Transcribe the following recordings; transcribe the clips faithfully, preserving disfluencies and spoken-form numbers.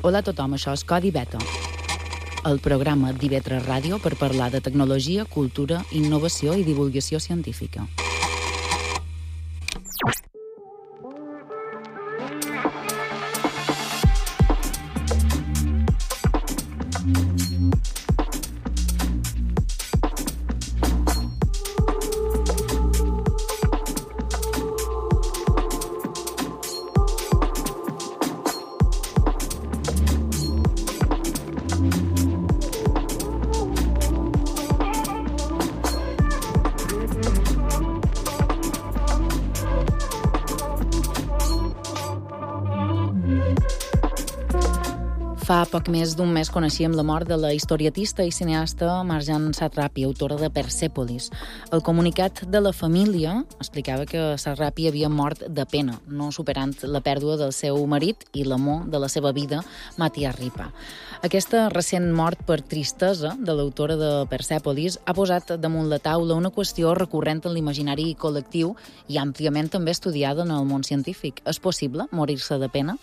Hola a tothom, això és Codi Beta, el programa d'I V tres Ràdio per parlar de tecnologia, cultura, innovació i divulgació científica. Fa poc més d'un mes coneixíem la mort de la historietista i cineasta Marjane Satrapi, autora de Persepolis. El comunicat de la família explicava que Satrapi havia mort de pena, no superant la pèrdua del seu marit i l'amor de la seva vida, Matthias Ripa. Aquesta recent mort per tristesa de l'autora de Persepolis ha posat damunt la taula una qüestió recurrent en l'imaginari col·lectiu i àmpliament també estudiada en el món científic. És possible morir-se de pena?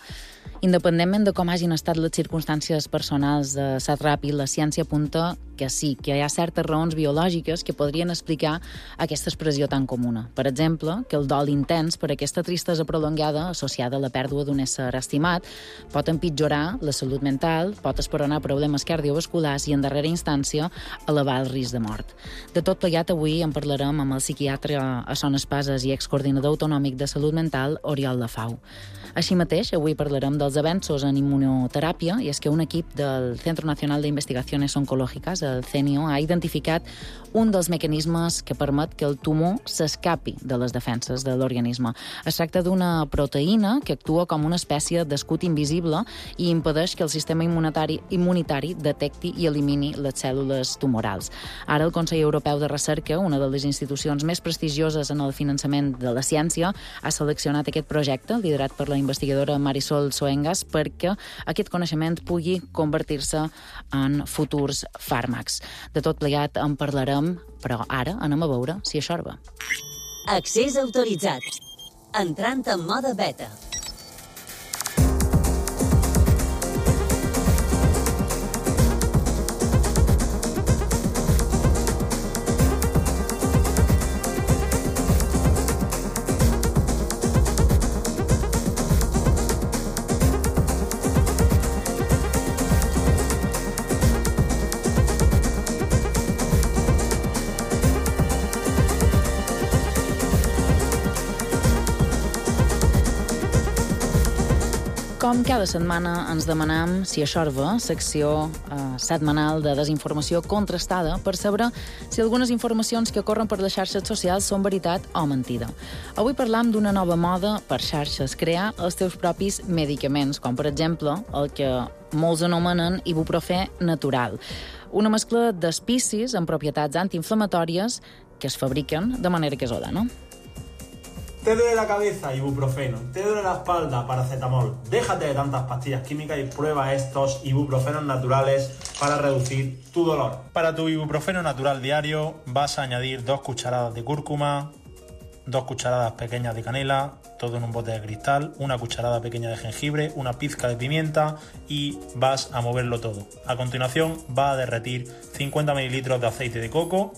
Independentment de com hagin estat les circumstàncies personals de Satrapi, la ciència apunta que sí, que hi ha certes raons biològiques que podrien explicar aquesta expressió tan comuna. Per exemple, que el dol intens per aquesta tristesa prolongada associada a la pèrdua d'un ésser estimat pot empitjorar la salut mental, pot esperonar problemes cardiovasculars i, en darrera instància, elevar el risc de mort. De tot plegat, avui en parlarem amb el psiquiatre a Son Espases i excoordinador autonòmic de salut mental, Oriol Lafau. Així mateix, avui parlarem dels avenços en immunoteràpia, i és que un equip del Centro Nacional de Investigaciones Oncológicas, el C N I O, ha identificat un dels mecanismes que permet que el tumor s'escapi de les defenses de l'organisme. Es tracta d'una proteïna que actua com una espècie d'escut invisible i impedeix que el sistema immunitari, immunitari detecti i elimini les cèl·lules tumorals. Ara el Consell Europeu de Recerca, una de les institucions més prestigioses en el finançament de la ciència, ha seleccionat aquest projecte, liderat per la investigadora Marisol Soengas, perquè aquest coneixement pugui convertir-se en futurs fàrmacs. De tot plegat en parlarem, però ara anem a veure si això va. Accés autoritzat. Entrant en mode beta. Com cada setmana ens demanam si això va, secció eh, setmanal de desinformació contrastada per saber si algunes informacions que corren per les xarxes socials són veritat o mentida. Avui parlam d'una nova moda per xarxes, crear els teus propis medicaments, com per exemple el que molts anomenen ibuprofè natural. Una mescla d'espicis amb propietats antiinflamatòries que es fabriquen de manera casolana, no? Te duele la cabeza, ibuprofeno. Te duele la espalda, paracetamol. Déjate de tantas pastillas químicas y prueba estos ibuprofenos naturales para reducir tu dolor. Para tu ibuprofeno natural diario vas a añadir dos cucharadas de cúrcuma, dos cucharadas pequeñas de canela, todo en un bote de cristal, una cucharada pequeña de jengibre, una pizca de pimienta y vas a moverlo todo. A continuación va a derretir cincuenta mililitros de aceite de coco,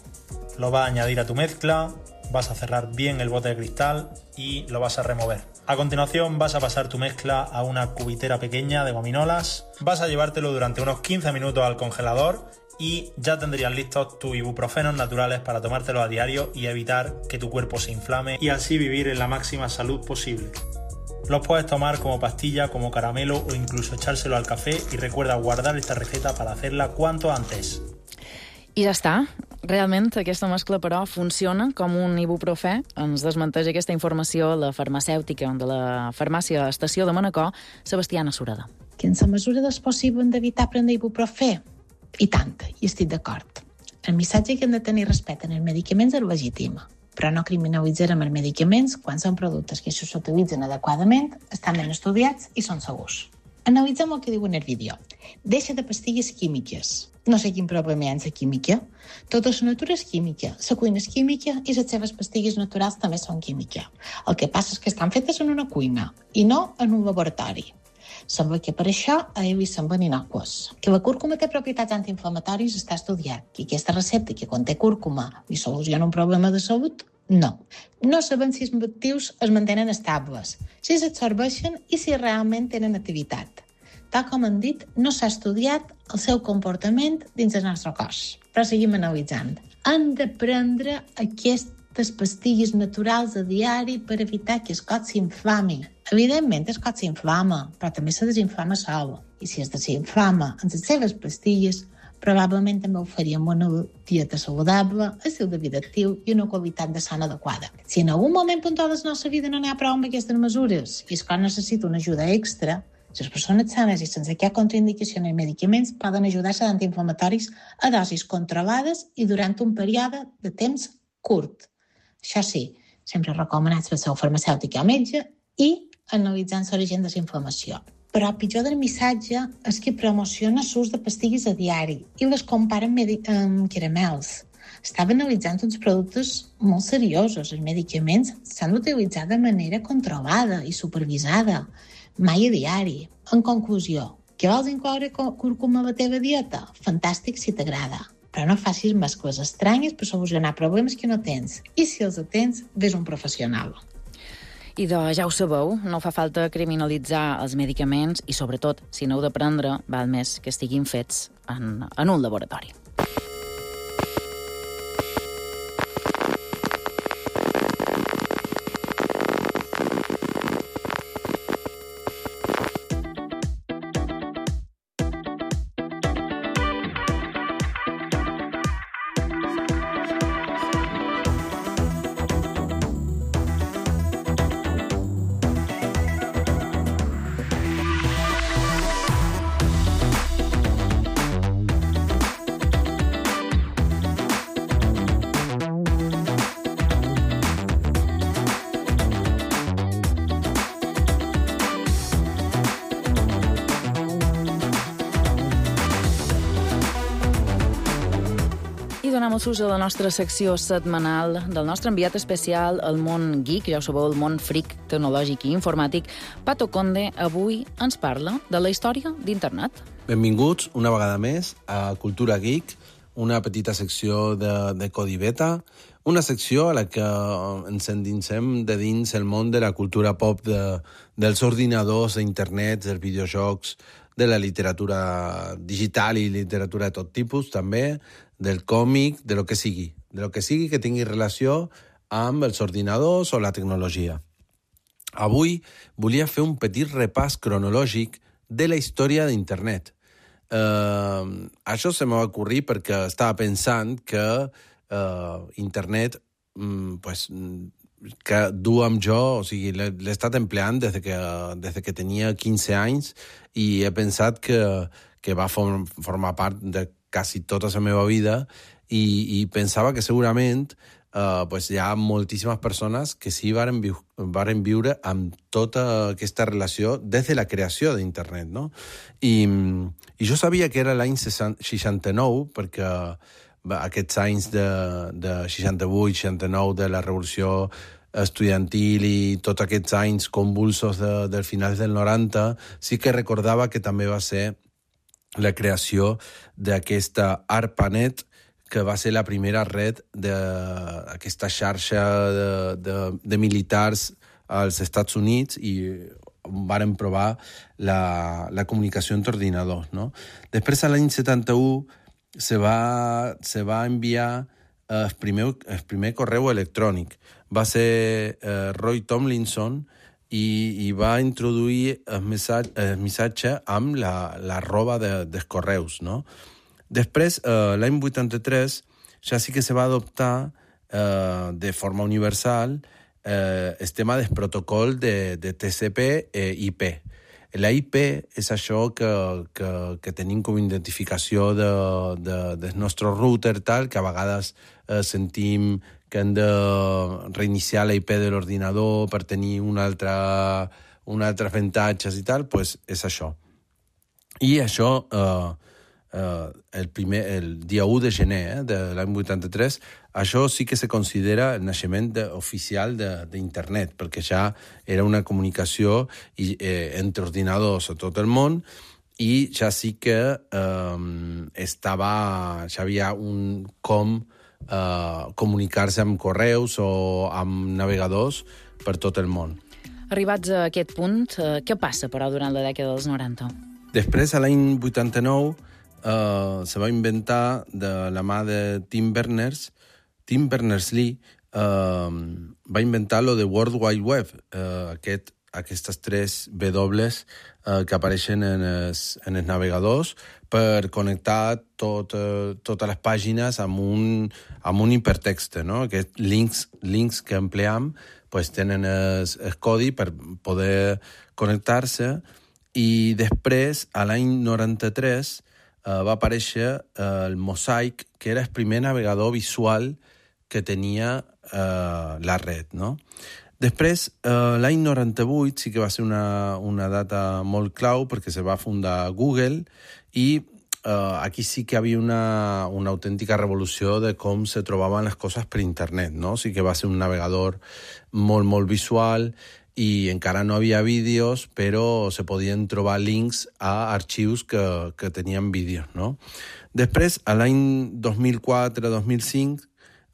lo vas a añadir a tu mezcla, vas a cerrar bien el bote de cristal y lo vas a remover. A continuación vas a pasar tu mezcla a una cubitera pequeña de gominolas, vas a llevártelo durante unos quince minutos al congelador y ya tendrías listos tus ibuprofenos naturales para tomártelo a diario y evitar que tu cuerpo se inflame y así vivir en la máxima salud posible. Los puedes tomar como pastilla, como caramelo o incluso echárselo al café y recuerda guardar esta receta para hacerla cuanto antes. I ja està. Realment, aquesta mescla, però, funciona com un ibuprofè. Ens desmenteix aquesta informació la farmacèutica de la farmàcia Estació de Manacor, Sebastiana Sureda. Que en la mesura del possible hem d'evitar prendre ibuprofè? I tant, i estic d'acord. El missatge que hem de tenir respecte en els medicaments és legítim, però no criminalitzarem els medicaments quan són productes que si s'utilitzen adequadament, estan ben estudiats i són segurs. Analitzem el que diuen el vídeo. Deixa de pastilles químiques. No sé quin problema hi ha en la química. Tota la natura és química, la cuina és química i les seves pastilles naturals també són química. El que passa és que estan fetes en una cuina i no en un laboratori. Sembla que per això a ell li semblen inocues. Que la cúrcuma té propietats antiinflamatòries està estudiat. Que aquesta recepta que conté cúrcuma li soluciona un problema de salut? No. No sabem si els actius es mantenen estables, si s'absorbeixen i si realment tenen activitat. Tal com hem dit, no s'ha estudiat el seu comportament dins el nostre cos, però seguim analitzant. Hem de prendre aquestes pastilles naturals a diari per evitar que el cos s'inflami. Evidentment, el cos s'inflama, però també se desinflama sol. I si es desinflama amb les seves pastilles, probablement també ho faríem una dieta saludable, estil de vida actiu i una qualitat de son adequada. Si en algun moment puntual de la nostra vida no n'hi ha prou amb aquestes mesures i el cos necessita una ajuda extra, les persones sanes i sense cap contraindicació en els medicaments poden ajudar-se d'antiinflamatoris a dosis controlades i durant un període de temps curt. Això sí, sempre recomanats pel seu farmacèutic o metge i analitzant l'origen de la inflamació. Però el pitjor del missatge és que promociona l'ús de pastilles a diari i les compara amb, medi- amb caramels. Estava analitzant uns productes molt seriosos. Els medicaments s'han d'utilitzar de manera controlada i supervisada, mai a diari. En conclusió, que vols incloure cúrcuma a la teva dieta? Fantàstic si t'agrada. Però no facis mescles estranyes per solucionar problemes que no tens. I si els tens, ves un professional. I de, ja ho sabeu, no fa falta criminalitzar els medicaments i, sobretot, si no heu de prendre, val més que estiguin fets en, en un laboratori. Donem el sus a la nostra secció setmanal del nostre enviat especial al món geek, ja ho sabeu, el món fric tecnològic i informàtic. Pato Conde avui ens parla de la història d'internet. Benvinguts una vegada més a Cultura Geek, una petita secció de, de Codi Beta, una secció a la que ens endinsem de dins el món de la cultura pop, de, dels ordinadors, d'internet, dels videojocs, de la literatura digital i literatura de tot tipus, també, del còmic, de lo que sigui, de lo que sigui que tingui relació amb els ordinadors o la tecnologia. Avui volia fer un petit repàs cronològic de la història d'internet. Eh, això se m'ha ocorrit perquè estava pensant que eh, internet mm, pues, que du amb jo, o sigui, l'he, l'he estat empleant des que, des que tenia quinze anys i he pensat que, que va form, formar part de quasi tota la meva vida i, i pensava que segurament uh, pues hi ha moltíssimes persones que sí varen, viu, varen viure amb tota aquesta relació des de la creació d'internet, no? I, i jo sabia que era l'any seixanta-nou perquè aquests anys de, de seixanta-vuit seixanta-nou de la revolució estudiantil i tots aquests anys convulsos de, del final del noranta, sí que recordava que també va ser la creació d'aquesta ARPANET, que va ser la primera red d'aquesta xarxa de, de, de militars als Estats Units i varen provar la, la comunicació entre ordinadors, no? Després, a l'any setanta-u, se va, se va enviar el primer, el primer correu electrònic. Va ser eh, Roy Tomlinson i, i va introduir el missatge, el missatge amb la, la roba de, dels correus, no? Després, eh, l'any vuitanta-tres, ja sí que se va adoptar eh, de forma universal eh, el tema del protocol de, de T C P i I P. La I P és això que, que, que tenim com identificació de, de, del nostre router, tal, que a vegades eh, sentim que hem de reiniciar la I P de l'ordinador per tenir un altre, un altre avantatges i tal, pues és això. I això, eh, eh, el, primer, el dia u de gener eh, de l'any vuitanta-tres, això sí que se considera el naixement de, oficial d'internet, perquè ja era una comunicació i, eh, entre ordinadors a tot el món, i ja sí que eh, estava, ja havia un com eh, comunicar-se amb correus o amb navegadors per tot el món. Arribats a aquest punt, eh, què passa, però, durant la dècada dels noranta? Després, a l'any vuitanta-nou, eh, se va inventar de la mà de Tim Berners, Tim Berners-Lee eh, va inventar lo de World Wide Web, eh, aquest, aquestes tres W eh, que apareixen en els, en els navegadors per connectar tot, eh, totes les pàgines amb un, amb un hipertext, no? Aquests links, links que empleam pues tenen el, el codi per poder connectar-se, i després, a l'any noranta-tres, eh, va aparèixer eh, el Mosaic, que era el primer navegador visual que tenia eh, la red, no? Després, eh, l'any noranta-vuit sí que va ser una, una data molt clau perquè se va fundar Google, i Uh, aquí sí que havia una, una autèntica revolució de com se trobaven les coses per internet, no? Sí que va ser un navegador molt, molt visual, i encara no havia vídeos, però se podien trobar links a arxius que, que tenien vídeos, no? Després, a l'any dos mil quatre dos mil cinc,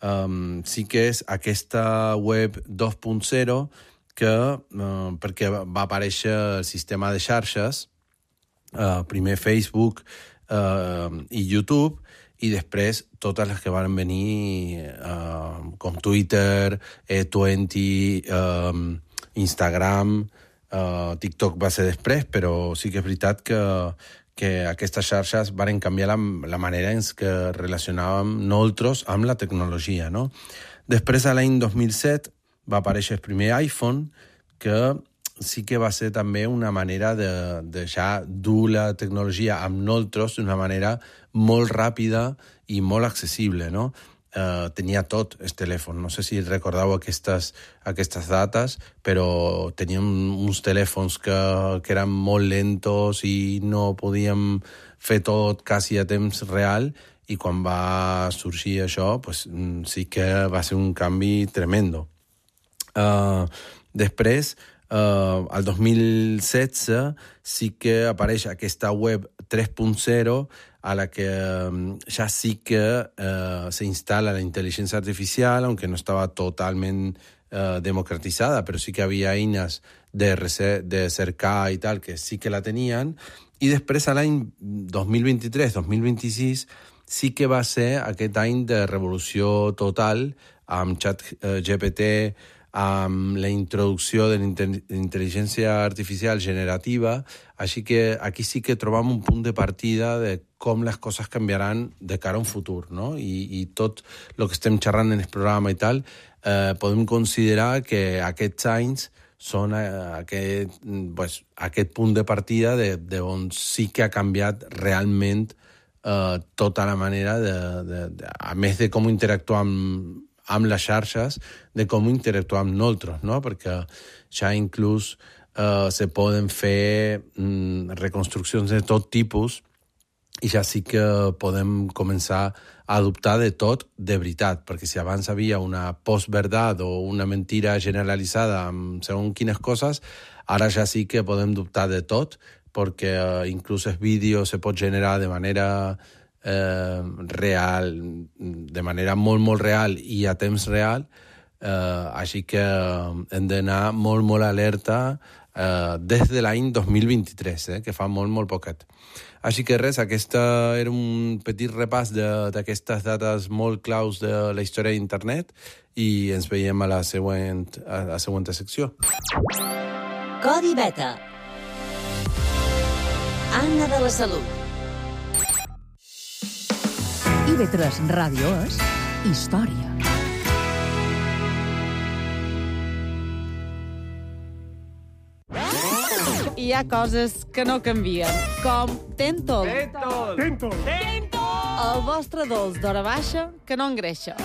um, sí que és aquesta web dos punt zero, que, uh, perquè va aparèixer el sistema de xarxes, uh, primer Facebook, Uh, i YouTube, i després totes les que van venir uh, com Twitter, E vint, uh, Instagram, uh, TikTok va ser després, però sí que és veritat que, que aquestes xarxes van canviar la, la manera en què relacionàvem nosaltres amb la tecnologia, no? Després, a l'any dos mil set, va aparèixer el primer iPhone, que sí que va ser també una manera de, de ja dur la tecnologia amb nosaltres d'una manera molt ràpida i molt accessible, no? Eh, tenia tot el telèfon. No sé si recordeu aquestes, aquestes dates, però teníem uns telèfons que, que eren molt lentos i no podíem fer tot quasi a temps real, i quan va sorgir això, pues, sí que va ser un canvi tremendo. Eh, després, Uh, al dos mil setze sí que apareix aquesta web tres punt zero, a la que um, ja sí que uh, se instala la intel·ligència artificial, aunque no estava totalment uh, democratitzada, però sí que havia eines de, de cercar i tal, que sí que la tenien. I després, a l'any dos mil vint-i-tres dos mil vint-i-sis, sí que va ser aquest any de revolució total, amb ChatGPT, amb la introducció de l'intel·ligència artificial generativa, així que aquí sí que trobam un punt de partida de com les coses canviaran de cara a un futur, no? I, i tot el que estem xerrant en el programa i tal, eh, podem considerar que aquests anys són eh, aquest, pues, aquest punt de partida de, de on sí que ha canviat realment eh, tota la manera, de, de, de, a més de com interactuar amb amb les xarxes, de com interactuar amb nosaltres, no? Perquè ja inclús eh, se poden fer mm, reconstruccions de tot tipus, i ja sí que podem començar a adoptar de tot de veritat, perquè si abans havia una postverdad o una mentira generalitzada amb segons quines coses, ara ja sí que podem dubtar de tot, perquè eh, inclús el vídeo se pot generar de manera Eh, real, de manera molt, molt real i a temps real, eh, així que hem d'anar molt, molt alerta eh, des de l'any dos mil vint-i-tres, eh, que fa molt, molt poquet. Així que res, aquesta era un petit repàs d'aquestes dates molt claus de la història d'internet, i ens veiem a la següent, a la següent secció. Codi Beta. Anna de la Salut. I ve tres Ràdio és història. Hi ha coses que no canvien, com Tentol. Tentol! Tentol! Tentol! El vostre dolç d'hora baixa que no engreixa.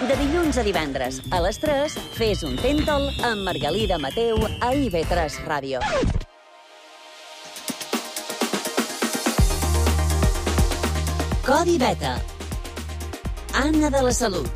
De dilluns a divendres, a les tres, fes un Tentol amb Margalida Mateu a I ve tres Ràdio. Codi Beta. Anna de la Salut.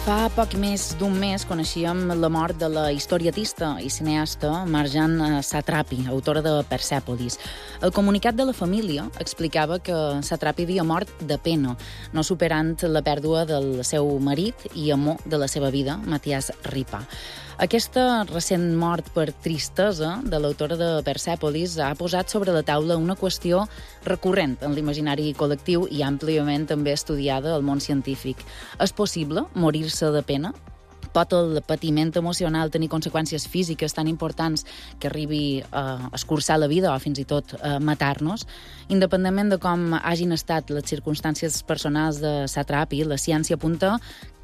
Fa poc més d'un mes coneixíem la mort de la historietista i cineasta Marjane Satrapi, autora de Persèpolis. El comunicat de la família explicava que Satrapi havia mort de pena, no superant la pèrdua del seu marit i amor de la seva vida, Matthias Ripa. Aquesta recent mort per tristesa de l'autora de Persèpolis ha posat sobre la taula una qüestió recurrent en l'imaginari col·lectiu i àmpliament també estudiada al món científic. És possible morir-se de pena? Pot el patiment emocional tenir conseqüències físiques tan importants que arribi a escurçar la vida o fins i tot a matar-nos? Independentment de com hagin estat les circumstàncies personals de Satrapi, la ciència apunta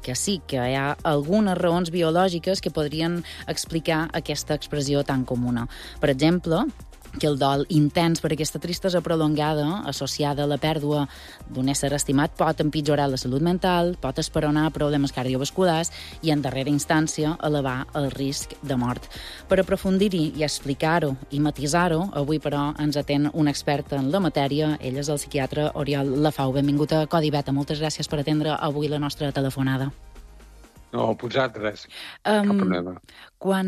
que sí, que hi ha algunes raons biològiques que podrien explicar aquesta expressió tan comuna. Per exemple, que el dol intens per aquesta tristesa prolongada, associada a la pèrdua d'un ésser estimat, pot empitjorar la salut mental, pot esperonar problemes cardiovasculars i, en darrera instància, elevar el risc de mort. Per aprofundir-hi i explicar-ho i matisar-ho, avui, però, ens atén un expert en la matèria. Ell és el psiquiatre Oriol Lafau. Benvingut a Codi Beta. Moltes gràcies per atendre avui la nostra telefonada. No, vosaltres. Um, Cap problema. Quan,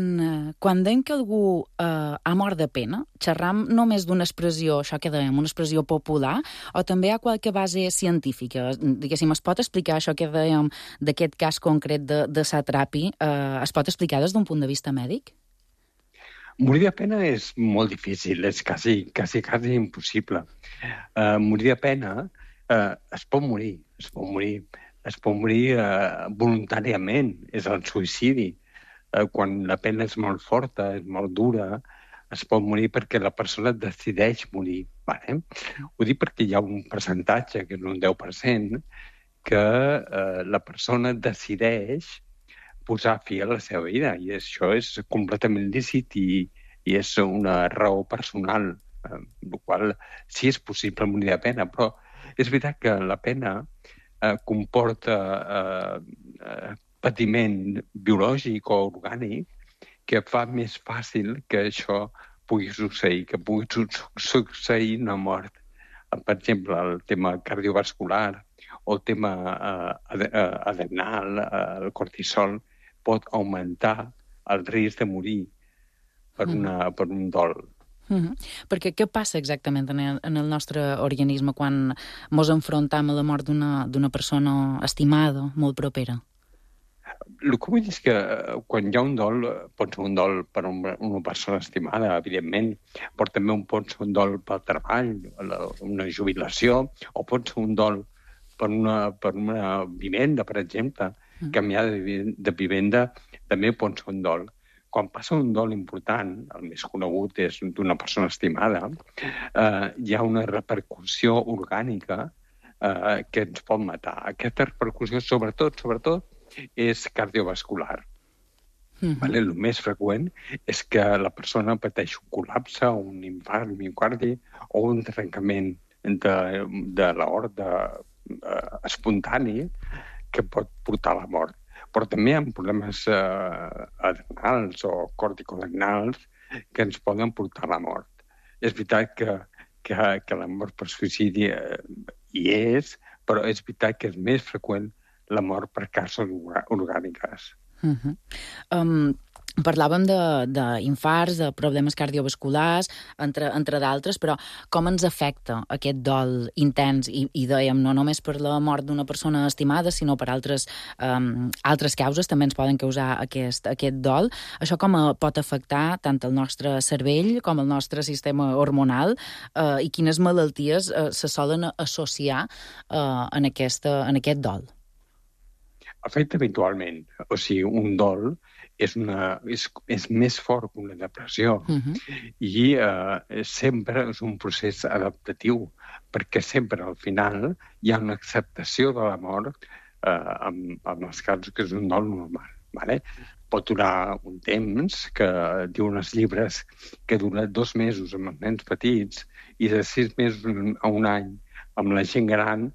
quan dèiem que algú uh, ha mort de pena, xerram només d'una expressió, això que dèiem, una expressió popular, o també hi ha qualque base científica? Diguéssim, es pot explicar això que dèiem d'aquest cas concret de, de Satrapi? Uh, es pot explicar des d'un punt de vista mèdic? Morir de pena és molt difícil, és quasi, quasi, quasi impossible. Uh, morir de pena uh, es pot morir, es pot morir. Es pot morir eh, voluntàriament, és el suïcidi. Eh, quan la pena és molt forta, és molt dura, es pot morir perquè la persona decideix morir. Vale? Ho dic perquè hi ha un percentatge, que és un deu per cent, que eh, la persona decideix posar fi a la seva vida, i això és completament lícit i, i és una raó personal, eh, el qual sí és possible morir de pena, però és veritat que la pena Eh, comporta eh, eh, patiment biològic o orgànic que fa més fàcil que això pugui succeir, que pugui su succeir una mort. Per exemple, el tema cardiovascular o el tema eh, adrenal, eh, el cortisol, pot augmentar el risc de morir per, una, per un dol. Uh-huh. Perquè què passa exactament en el, en el nostre organisme quan mos enfrontam a la mort d'una persona estimada, molt propera? El que vull dir és que quan hi ha un dol, pot ser un dol per una, una persona estimada, evidentment, però també pot ser un dol pel treball, una jubilació, o pot ser un dol per una, per una vivenda, per exemple. Uh-huh. Canviar de, de vivenda també pot ser un dol. Quan passa un dol important, el més conegut és d'una persona estimada, eh, hi ha una repercussió orgànica eh, que ens pot matar. Aquesta repercussió, sobretot, sobretot, és cardiovascular. Mm-hmm. Vale? El més freqüent és que la persona pateix un col·lapse, un infart miocardi o un trencament de, de l'aorta eh, espontani que pot portar a la mort. Però també hi ha problemes eh, adrenals o corticoadrenals que ens poden portar a la mort. És veritat que, que, que la mort per suïcidi eh, hi és, però és veritat que és més freqüent la mort per causes orgàniques. Uh-huh. um... Parlàvem d'infarts, de, de problemes cardiovasculars, entre, entre d'altres, però com ens afecta aquest dol intens? I, i dèiem, no només per la mort d'una persona estimada, sinó per altres, um, altres causes també ens poden causar aquest, aquest dol. Això com pot afectar tant el nostre cervell com el nostre sistema hormonal uh, i quines malalties uh, se solen associar uh, en, aquesta, en aquest dol? Afecta habitualment. O sigui, un dol és, una, és, és més fort que una depressió. Uh-huh. I eh, sempre és un procés adaptatiu, perquè sempre al final hi ha una acceptació de la mort eh, amb, amb els casos que és un dol normal. Vale? Pot durar un temps, que diuen els llibres, que dura dos mesos amb els nens petits i de sis mesos a un any amb la gent gran.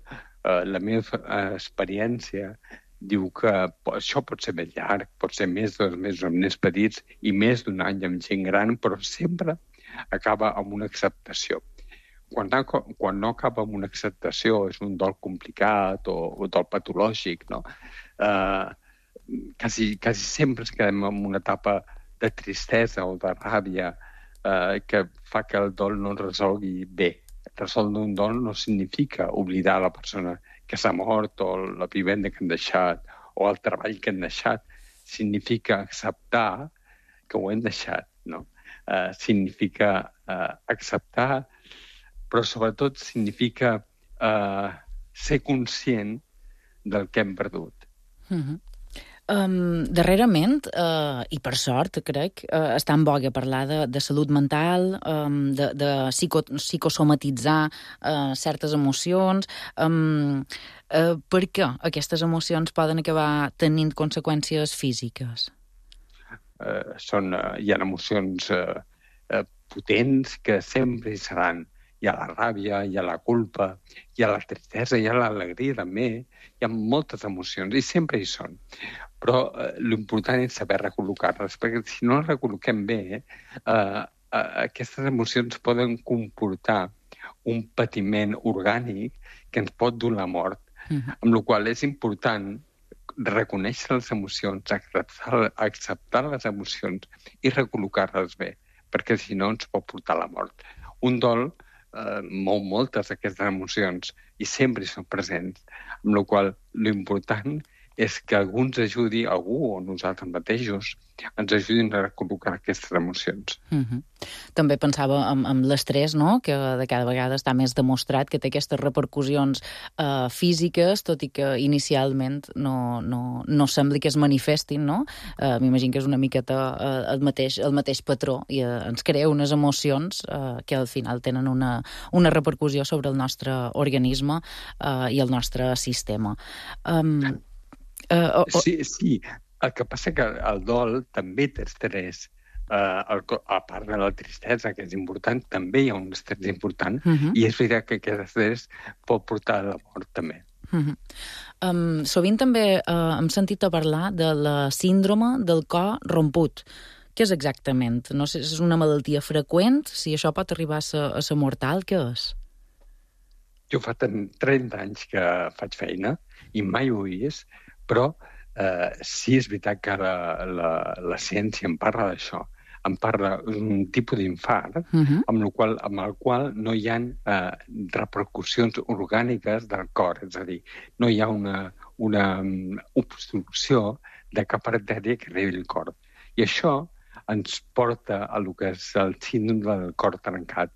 Eh, la meva eh, experiència diu que això pot ser més llarg, pot ser més de dos mesos amb nens petits i més d'un any amb gent gran, però sempre acaba amb una acceptació. Quan no, quan no acaba amb una acceptació, és un dol complicat o un dol patològic, no? Eh, quasi, quasi sempre ens quedem en una etapa de tristesa o de ràbia eh, que fa que el dol no es resolgui bé. Resoldre un dol no significa oblidar la persona que s'ha mort o la vivenda que han deixat o el treball que han deixat. Significa acceptar que ho hem deixat, no? Eh, significa eh, acceptar, però sobretot significa eh, ser conscient del que hem perdut. Mm-hmm. Um, darrerament, uh, i per sort, crec, uh, està en voga parlar de, de salut mental, um, de, de psico, psicosomatitzar uh, certes emocions. Um, uh, per què aquestes emocions poden acabar tenint conseqüències físiques? Uh, són, uh, hi ha emocions uh, uh, potents que sempre hi seran. Hi ha la ràbia, hi ha la culpa, hi ha la tristesa, hi ha l'alegria també. Hi ha moltes emocions i sempre hi són. Però eh, l'important és saber recol·locar-les, perquè si no les recol·loquem bé, eh, eh, aquestes emocions poden comportar un patiment orgànic que ens pot dur la mort, mm-hmm. amb la qual és important reconèixer les emocions, acceptar, acceptar les emocions i recol·locar-les bé, perquè si no ens pot portar la mort. Un dol eh, mou moltes d'aquestes emocions i sempre hi són presents, amb la qual l'important és que algú ens ajudi, algú o nosaltres mateixos, ens ajudin a recol·locar aquestes emocions. Mm-hmm. També pensava en, en l'estrès, no?, que de cada vegada està més demostrat que té aquestes repercussions eh, físiques, tot i que inicialment no, no, no sembli que es manifestin, no? Eh, M'imagino que és una miqueta eh, el, mateix, el mateix patró i eh, ens crea unes emocions eh, que al final tenen una, una repercussió sobre el nostre organisme eh, i el nostre sistema. Um, Uh, oh, oh. Sí, sí. El que passa que el dol també té estrès. Uh, el, a part de la tristesa, que és important, també hi ha un estrès important, uh-huh. i és veritat que aquest estrès pot portar a la mort també. Uh-huh. Um, sovint també uh, hem sentit a parlar de la síndrome del cor romput. Què és exactament? No sé si és una malaltia freqüent, si això pot arribar a ser, a ser mortal, què és? Jo fa trenta anys que faig feina i mai ho he vist, però eh, sí és veritat que la, la, la ciència en parla d'això. En parla d'un tipus d'infart uh-huh. amb, el qual, amb el qual no hi ha eh, repercussions orgàniques del cor. És a dir, no hi ha una, una obstrucció de cap artèria que arribi al cor. I això ens porta a lo que és el síndrome del cor trencat.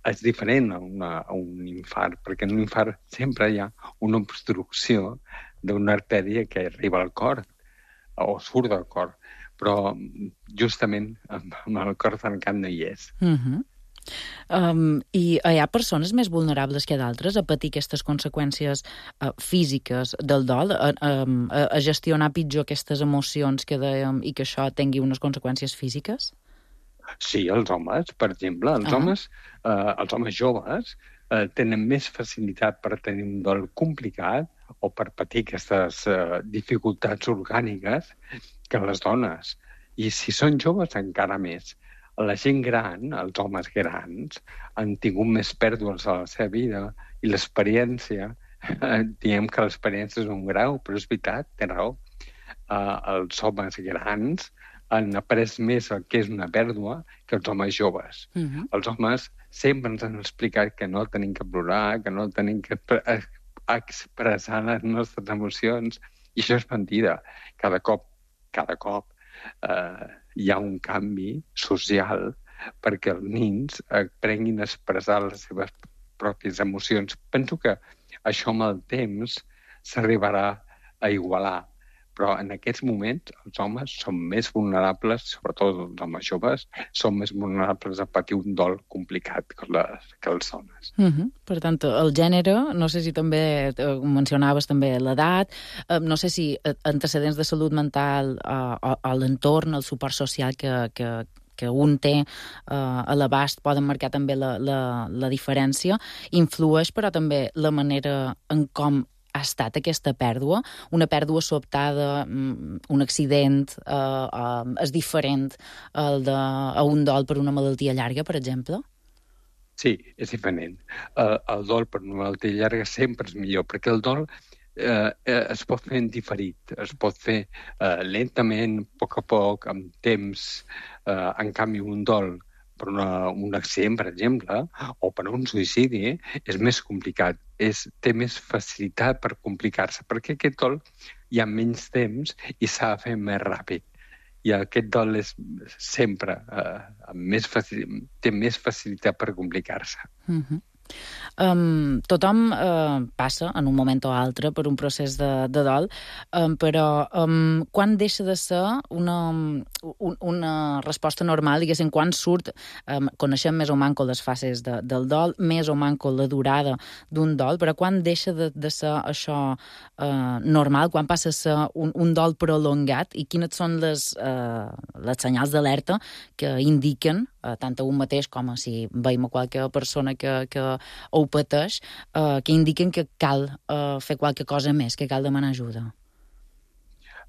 És diferent a, una, a un infart, perquè en un infart sempre hi ha una obstrucció d'una artèria que arriba al cor o surt del cor, però justament amb, amb el cor trencat no hi és. Uh-huh. um, I hi ha persones més vulnerables que d'altres a patir aquestes conseqüències uh, físiques del dol, a, a, a gestionar pitjor aquestes emocions que dèiem i que això tingui unes conseqüències físiques? Sí, els homes, per exemple. Els, uh-huh. homes, eh, els homes joves eh, tenen més facilitat per tenir un dol complicat o per patir aquestes eh, dificultats orgàniques que les dones. I si són joves, encara més. La gent gran, els homes grans, han tingut més pèrdues a la seva vida i l'experiència, eh, diem que l'experiència és un grau, però és veritat, té raó. Eh, els homes grans han après més el que és una pèrdua que els homes joves. Uh-huh. Els homes sempre ens han explicat que no tenim que plorar, que no tenim que expressar les nostres emocions, i això és mentida. Cada cop, cada cop eh, hi ha un canvi social perquè els nens aprenguin a expressar les seves pròpies emocions. Penso que això amb el temps s'arribarà a igualar, però en aquests moments els homes són més vulnerables, sobretot els homes joves, són més vulnerables a patir un dol complicat que les, que les dones. Uh-huh. Per tant, el gènere, no sé si també eh, mencionaves també l'edat, eh, no sé si antecedents de salut mental eh, o, o l'entorn, el suport social que, que, que un té eh, a l'abast poden marcar també la, la, la diferència, influeix però també la manera en com ha estat aquesta pèrdua, una pèrdua sobtada, un accident, eh, eh, és diferent el de, a un dol per una malaltia llarga, per exemple? Sí, és diferent. El, el dol per una malaltia llarga sempre és millor, perquè el dol eh, es pot fer en diferit, es pot fer eh, lentament, a poc a poc, amb temps. Eh, en canvi, un dol per una, un accident, per exemple, o per un suïcidi, és més complicat, és, té més facilitat per complicar-se, perquè aquest dol hi ha menys temps i s'ha de fer més ràpid. I aquest dol és sempre eh, més facil, té més facilitat per complicar-se. Uh-huh. Um, tothom uh, passa en un moment o altre per un procés de, de dol, um, però um, quan deixa de ser una, un, una resposta normal, diguéssim, quan surt, um, coneixem més o manco les fases de, del dol, més o manco la durada d'un dol, però quan deixa de, de ser això uh, normal, quan passa a ser un, un dol prolongat, i quines són les, uh, les senyals d'alerta que indiquen, uh, tant a un mateix com a si veiem a qualque persona que, que ho pateix, eh, que indiquen que cal eh, fer qualque cosa més, que cal demanar ajuda.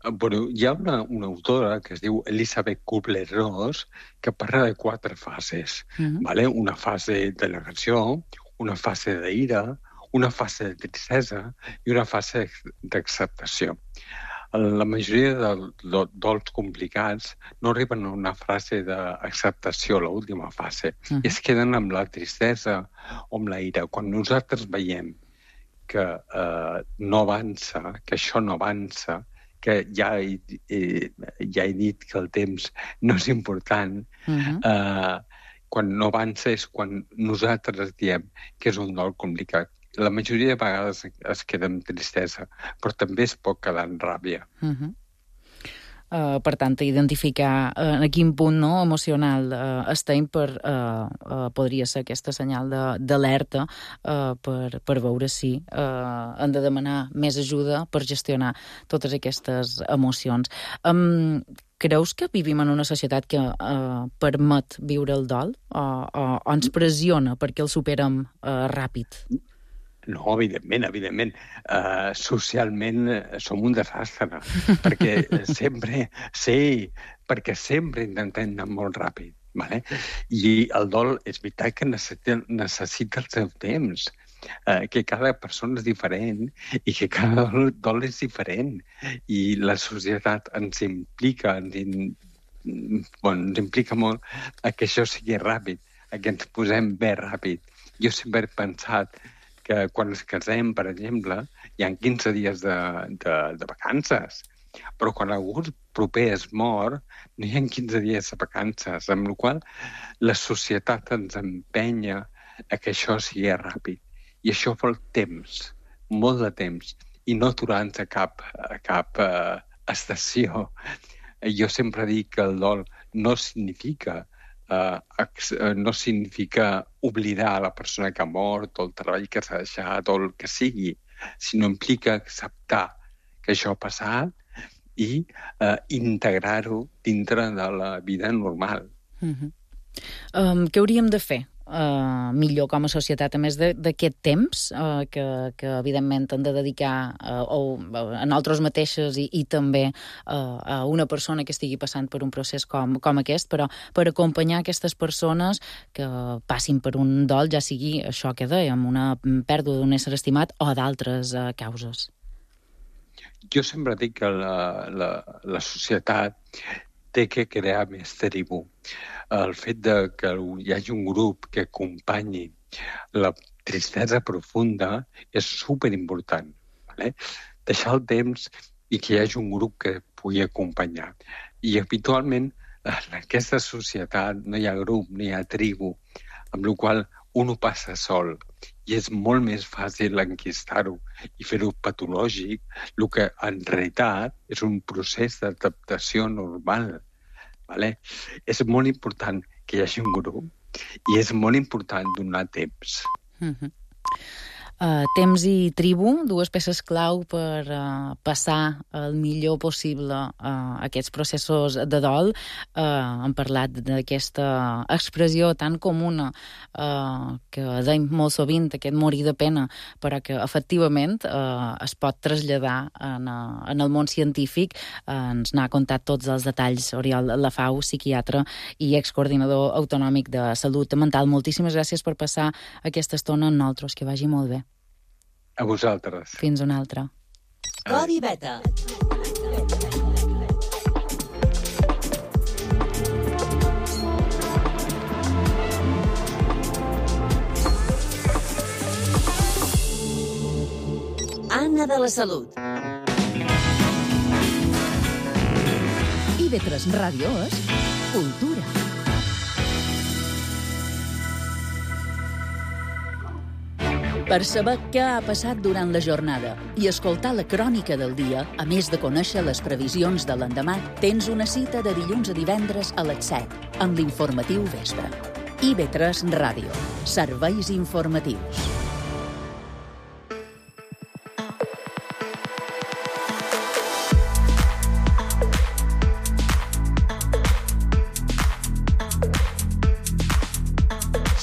Bueno, hi ha una, una autora que es diu Elisabeth Kubler-Ross que parla de quatre fases. Uh-huh. ¿Vale? Una fase de negació, una fase d'ira, una fase de tristesa i una fase d'acceptació. La majoria de dols complicats no arriben a una fase d'acceptació, l'última fase, uh-huh. i es queden amb la tristesa o amb la ira. Quan nosaltres veiem que eh, no avança, que això no avança, que ja he, eh, ja he dit que el temps no és important, uh-huh. eh, quan no avança és quan nosaltres diem que és un dol complicat. La majoria de vegades es queda amb tristesa, però també es pot quedar en ràbia. Uh-huh. Uh, per tant, identificar uh, a quin punt no, emocional uh, estem per, uh, uh, podria ser aquesta senyal d'alerta uh, per, per veure si uh, hem de demanar més ajuda per gestionar totes aquestes emocions. Um, Creus que vivim en una societat que uh, permet viure el dol o, o, o ens pressiona perquè el superem uh, ràpid? No, evidentment, evidentment. Uh, socialment uh, som un desastre, perquè sempre, sí, perquè sempre intentem anar molt ràpid, vale? I el dol és veritat que necessita, necessita el seu temps, uh, que cada persona és diferent i que cada dol, dol és diferent. I la societat ens implica, ens, in, bueno, ens implica molt a que això sigui ràpid, a que ens posem bé ràpid. Jo sempre he pensat que quan ens casem, per exemple, hi ha quinze dies de, de, de vacances, però quan algú proper es mor, no hi ha quinze dies de vacances, amb la qual la societat ens empenya a que això sigui ràpid. I això vol temps, molt de temps, i no aturar-nos a cap, a cap uh, estació. Jo sempre dic que el dol no significa Uh, no significa oblidar la persona que ha mort o el treball que s'ha deixat o el que sigui, sinó implica acceptar que això ha passat i uh, integrar-ho dintre de la vida normal. Uh-huh. Um, què hauríem de fer uh, millor com a societat, a més d'aquest temps uh, que, que evidentment hem de dedicar uh, o, a nosaltres mateixes i, i també uh, a una persona que estigui passant per un procés com, com aquest, però per acompanyar aquestes persones que passin per un dol, ja sigui això que dèiem, una pèrdua d'un ésser estimat o d'altres uh, causes? Jo sempre dic que la, la, la societat té que crear més tribu. El fet de que hi hagi un grup que acompanyi la tristesa profunda és superimportant. Vale? Deixar el temps i que hi hagi un grup que pugui acompanyar. I habitualment en aquesta societat no hi ha grup, no hi ha tribu, amb la qual un ho passa sol. i és molt més fàcil enquistar-ho i fer-ho patològic, el que en realitat és un procés d'adaptació normal. Vale? És molt important que hi hagi un grup i és molt important donar temps. Mm-hmm. Uh, temps i tribu, dues peces clau per uh, passar el millor possible uh, aquests processos de dol. Uh, hem parlat d'aquesta expressió tan comuna uh, que deim molt sovint, aquest morir de pena, però que efectivament uh, es pot traslladar en, uh, en el món científic. Uh, ens n'ha contat tots els detalls Oriol Lafau, psiquiatre i excoordinador autonòmic de salut mental. Moltíssimes gràcies per passar aquesta estona amb nosaltres, que vagi molt bé. A vosaltres. Fins una altra. Codi Beta. Anna de la Salut. I ve tres Ràdio és cultura. Per saber què ha passat durant la jornada i escoltar la crònica del dia, a més de conèixer les previsions de l'endemà, tens una cita de dilluns a divendres a les set, amb l'informatiu Vespre. I ve tres Ràdio. Serveis informatius.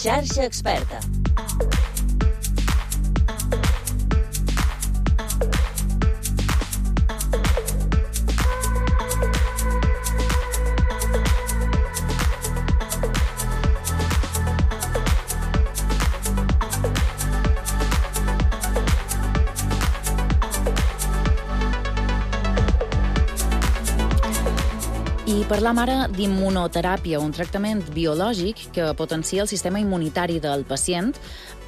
Xarxa Experta. I parlam ara d'immunoteràpia, un tractament biològic que potencia el sistema immunitari del pacient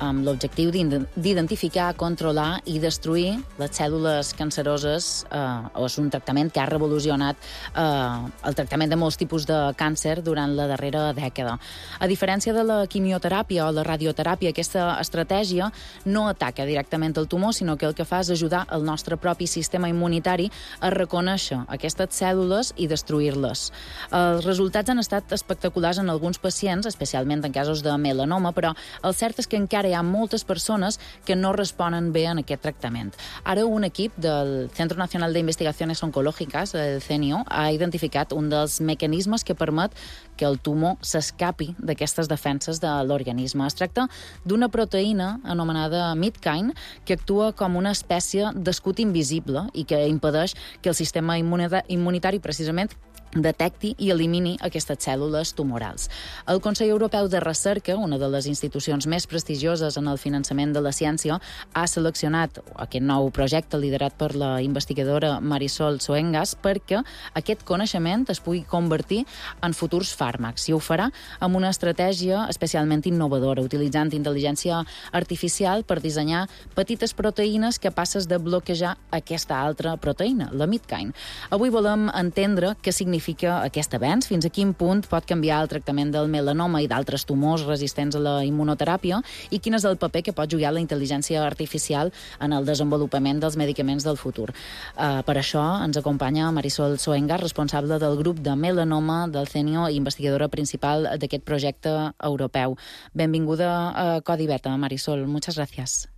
amb l'objectiu d'identificar, controlar i destruir les cèl·lules canceroses. Eh, és un tractament que ha revolucionat eh, el tractament de molts tipus de càncer durant la darrera dècada. A diferència de la quimioteràpia o la radioteràpia, aquesta estratègia no ataca directament el tumor, sinó que el que fa és ajudar el nostre propi sistema immunitari a reconèixer aquestes cèl·lules i destruir-les. Els resultats han estat espectaculars en alguns pacients, especialment en casos de melanoma, però el cert és que encara hi ha moltes persones que no responen bé en aquest tractament. Ara un equip del Centro Nacional de Investigaciones Oncológicas, el C N I O, ha identificat un dels mecanismes que permet que el tumor s'escapi d'aquestes defenses de l'organisme. Es tracta d'una proteïna anomenada Midkine que actua com una espècie d'escut invisible i que impedeix que el sistema immunitari precisament detecti i elimini aquestes cèl·lules tumorals. El Consell Europeu de Recerca, una de les institucions més prestigioses en el finançament de la ciència, ha seleccionat aquest nou projecte liderat per la investigadora Marisol Soengas perquè aquest coneixement es pugui convertir en futurs fàrmacs, i ho farà amb una estratègia especialment innovadora, utilitzant intel·ligència artificial per dissenyar petites proteïnes capaces de bloquejar aquesta altra proteïna, la Midkine. Avui volem entendre què significa aquest avenç, fins a quin punt pot canviar el tractament del melanoma i d'altres tumors resistents a la immunoteràpia i quin és el paper que pot jugar la intel·ligència artificial en el desenvolupament dels medicaments del futur. Uh, per això ens acompanya Marisol Soengas, responsable del grup de melanoma del C N I O i investigadora principal d'aquest projecte europeu. Benvinguda a Codi Beta, Marisol. Muchas gracias.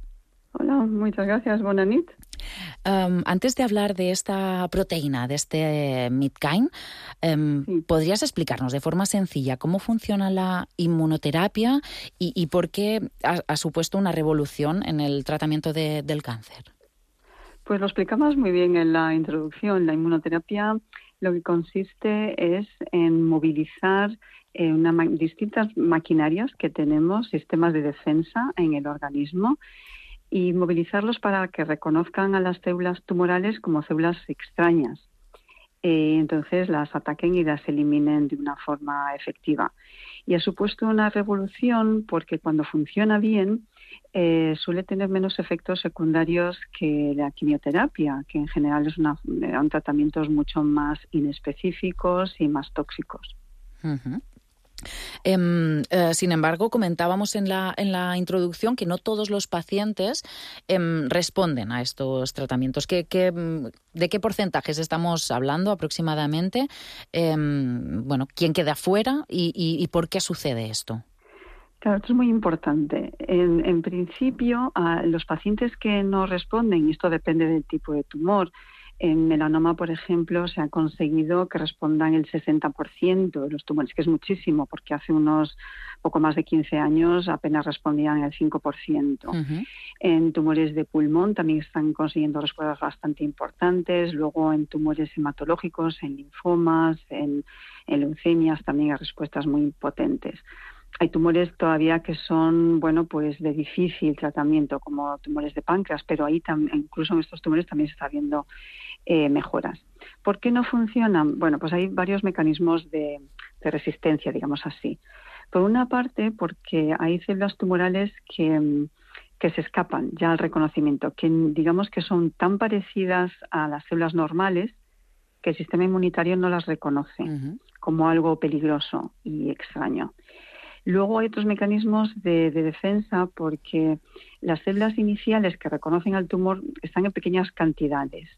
Hola, muchas gracias. Buena nit. Um, antes de hablar de esta proteína, de este Midkine, um, sí. ¿podrías explicarnos de forma sencilla cómo funciona la inmunoterapia y, y por qué ha, ha supuesto una revolución en el tratamiento de, del cáncer? Pues lo explicamos muy bien en la introducción. La inmunoterapia lo que consiste es en movilizar eh, una, distintas maquinarias que tenemos, sistemas de defensa en el organismo, y movilizarlos para que reconozcan a las células tumorales como células extrañas. Eh, entonces las ataquen y las eliminen de una forma efectiva. Y ha supuesto una revolución porque cuando funciona bien eh, suele tener menos efectos secundarios que la quimioterapia, que en general es una, son tratamientos mucho más inespecíficos y más tóxicos. Uh-huh. Eh, eh, sin embargo, comentábamos en la, en la introducción que no todos los pacientes eh, responden a estos tratamientos. ¿Qué, qué, ¿De qué porcentajes estamos hablando aproximadamente? Eh, bueno, ¿quién queda fuera y, y, y por qué sucede esto? Claro, esto es muy importante. En, en principio, a los pacientes que no responden, y esto depende del tipo de tumor, en melanoma, por ejemplo, se ha conseguido que respondan el sesenta por ciento de los tumores, que es muchísimo, porque hace unos poco más de quince años apenas respondían el cinco por ciento. Uh-huh. En tumores de pulmón también están consiguiendo respuestas bastante importantes. Luego en tumores hematológicos, en linfomas, en, en leucemias también hay respuestas muy potentes. Hay tumores todavía que son, bueno, pues de difícil tratamiento, como tumores de páncreas, pero ahí tam- incluso en estos tumores también se está viendo eh, mejoras. ¿Por qué no funcionan? Bueno, pues hay varios mecanismos de, de resistencia, digamos así. Por una parte, porque hay células tumorales que, que se escapan ya al reconocimiento, que digamos que son tan parecidas a las células normales que el sistema inmunitario no las reconoce uh-huh. como algo peligroso y extraño. Luego hay otros mecanismos de, de defensa porque las células iniciales que reconocen al tumor están en pequeñas cantidades.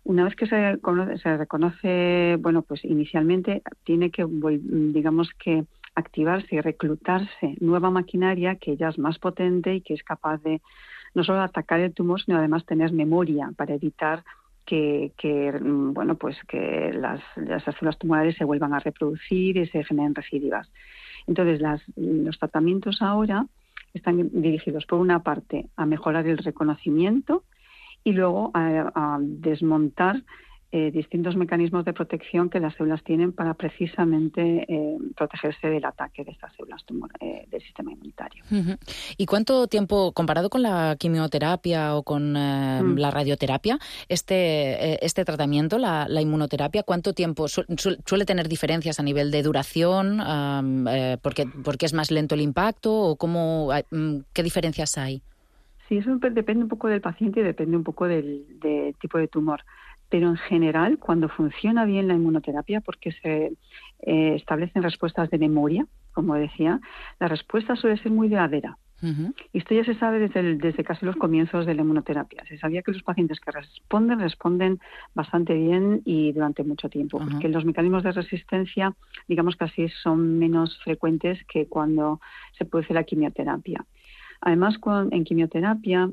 Una vez que se, se reconoce, bueno, pues inicialmente tiene que, digamos que, activarse y reclutarse nueva maquinaria que ya es más potente y que es capaz de no solo atacar el tumor, sino además tener memoria para evitar que, que bueno, pues que las, las células tumorales se vuelvan a reproducir y se generen recidivas. Entonces, las, los tratamientos ahora están dirigidos, por una parte, a mejorar el reconocimiento y luego a, a desmontar eh, distintos mecanismos de protección que las células tienen para precisamente eh, protegerse del ataque de estas células tumor, eh, del sistema inmunitario. Uh-huh. ¿Y cuánto tiempo, comparado con la quimioterapia o con eh, mm. la radioterapia, este, eh, este tratamiento, la, la inmunoterapia, cuánto tiempo su, su, suele tener diferencias a nivel de duración? Um, eh, porque, ¿Porque es más lento el impacto o cómo, um, qué diferencias hay? Sí, eso depende un poco del paciente y depende un poco del, del tipo de tumor. Pero en general, cuando funciona bien la inmunoterapia, porque se eh, establecen respuestas de memoria, como decía, la respuesta suele ser muy duradera. Uh-huh. Y esto ya se sabe desde, el, desde casi los comienzos de la inmunoterapia. Se sabía que los pacientes que responden, responden bastante bien y durante mucho tiempo, uh-huh. porque los mecanismos de resistencia, digamos que así son menos frecuentes que cuando se produce la quimioterapia. Además, en quimioterapia,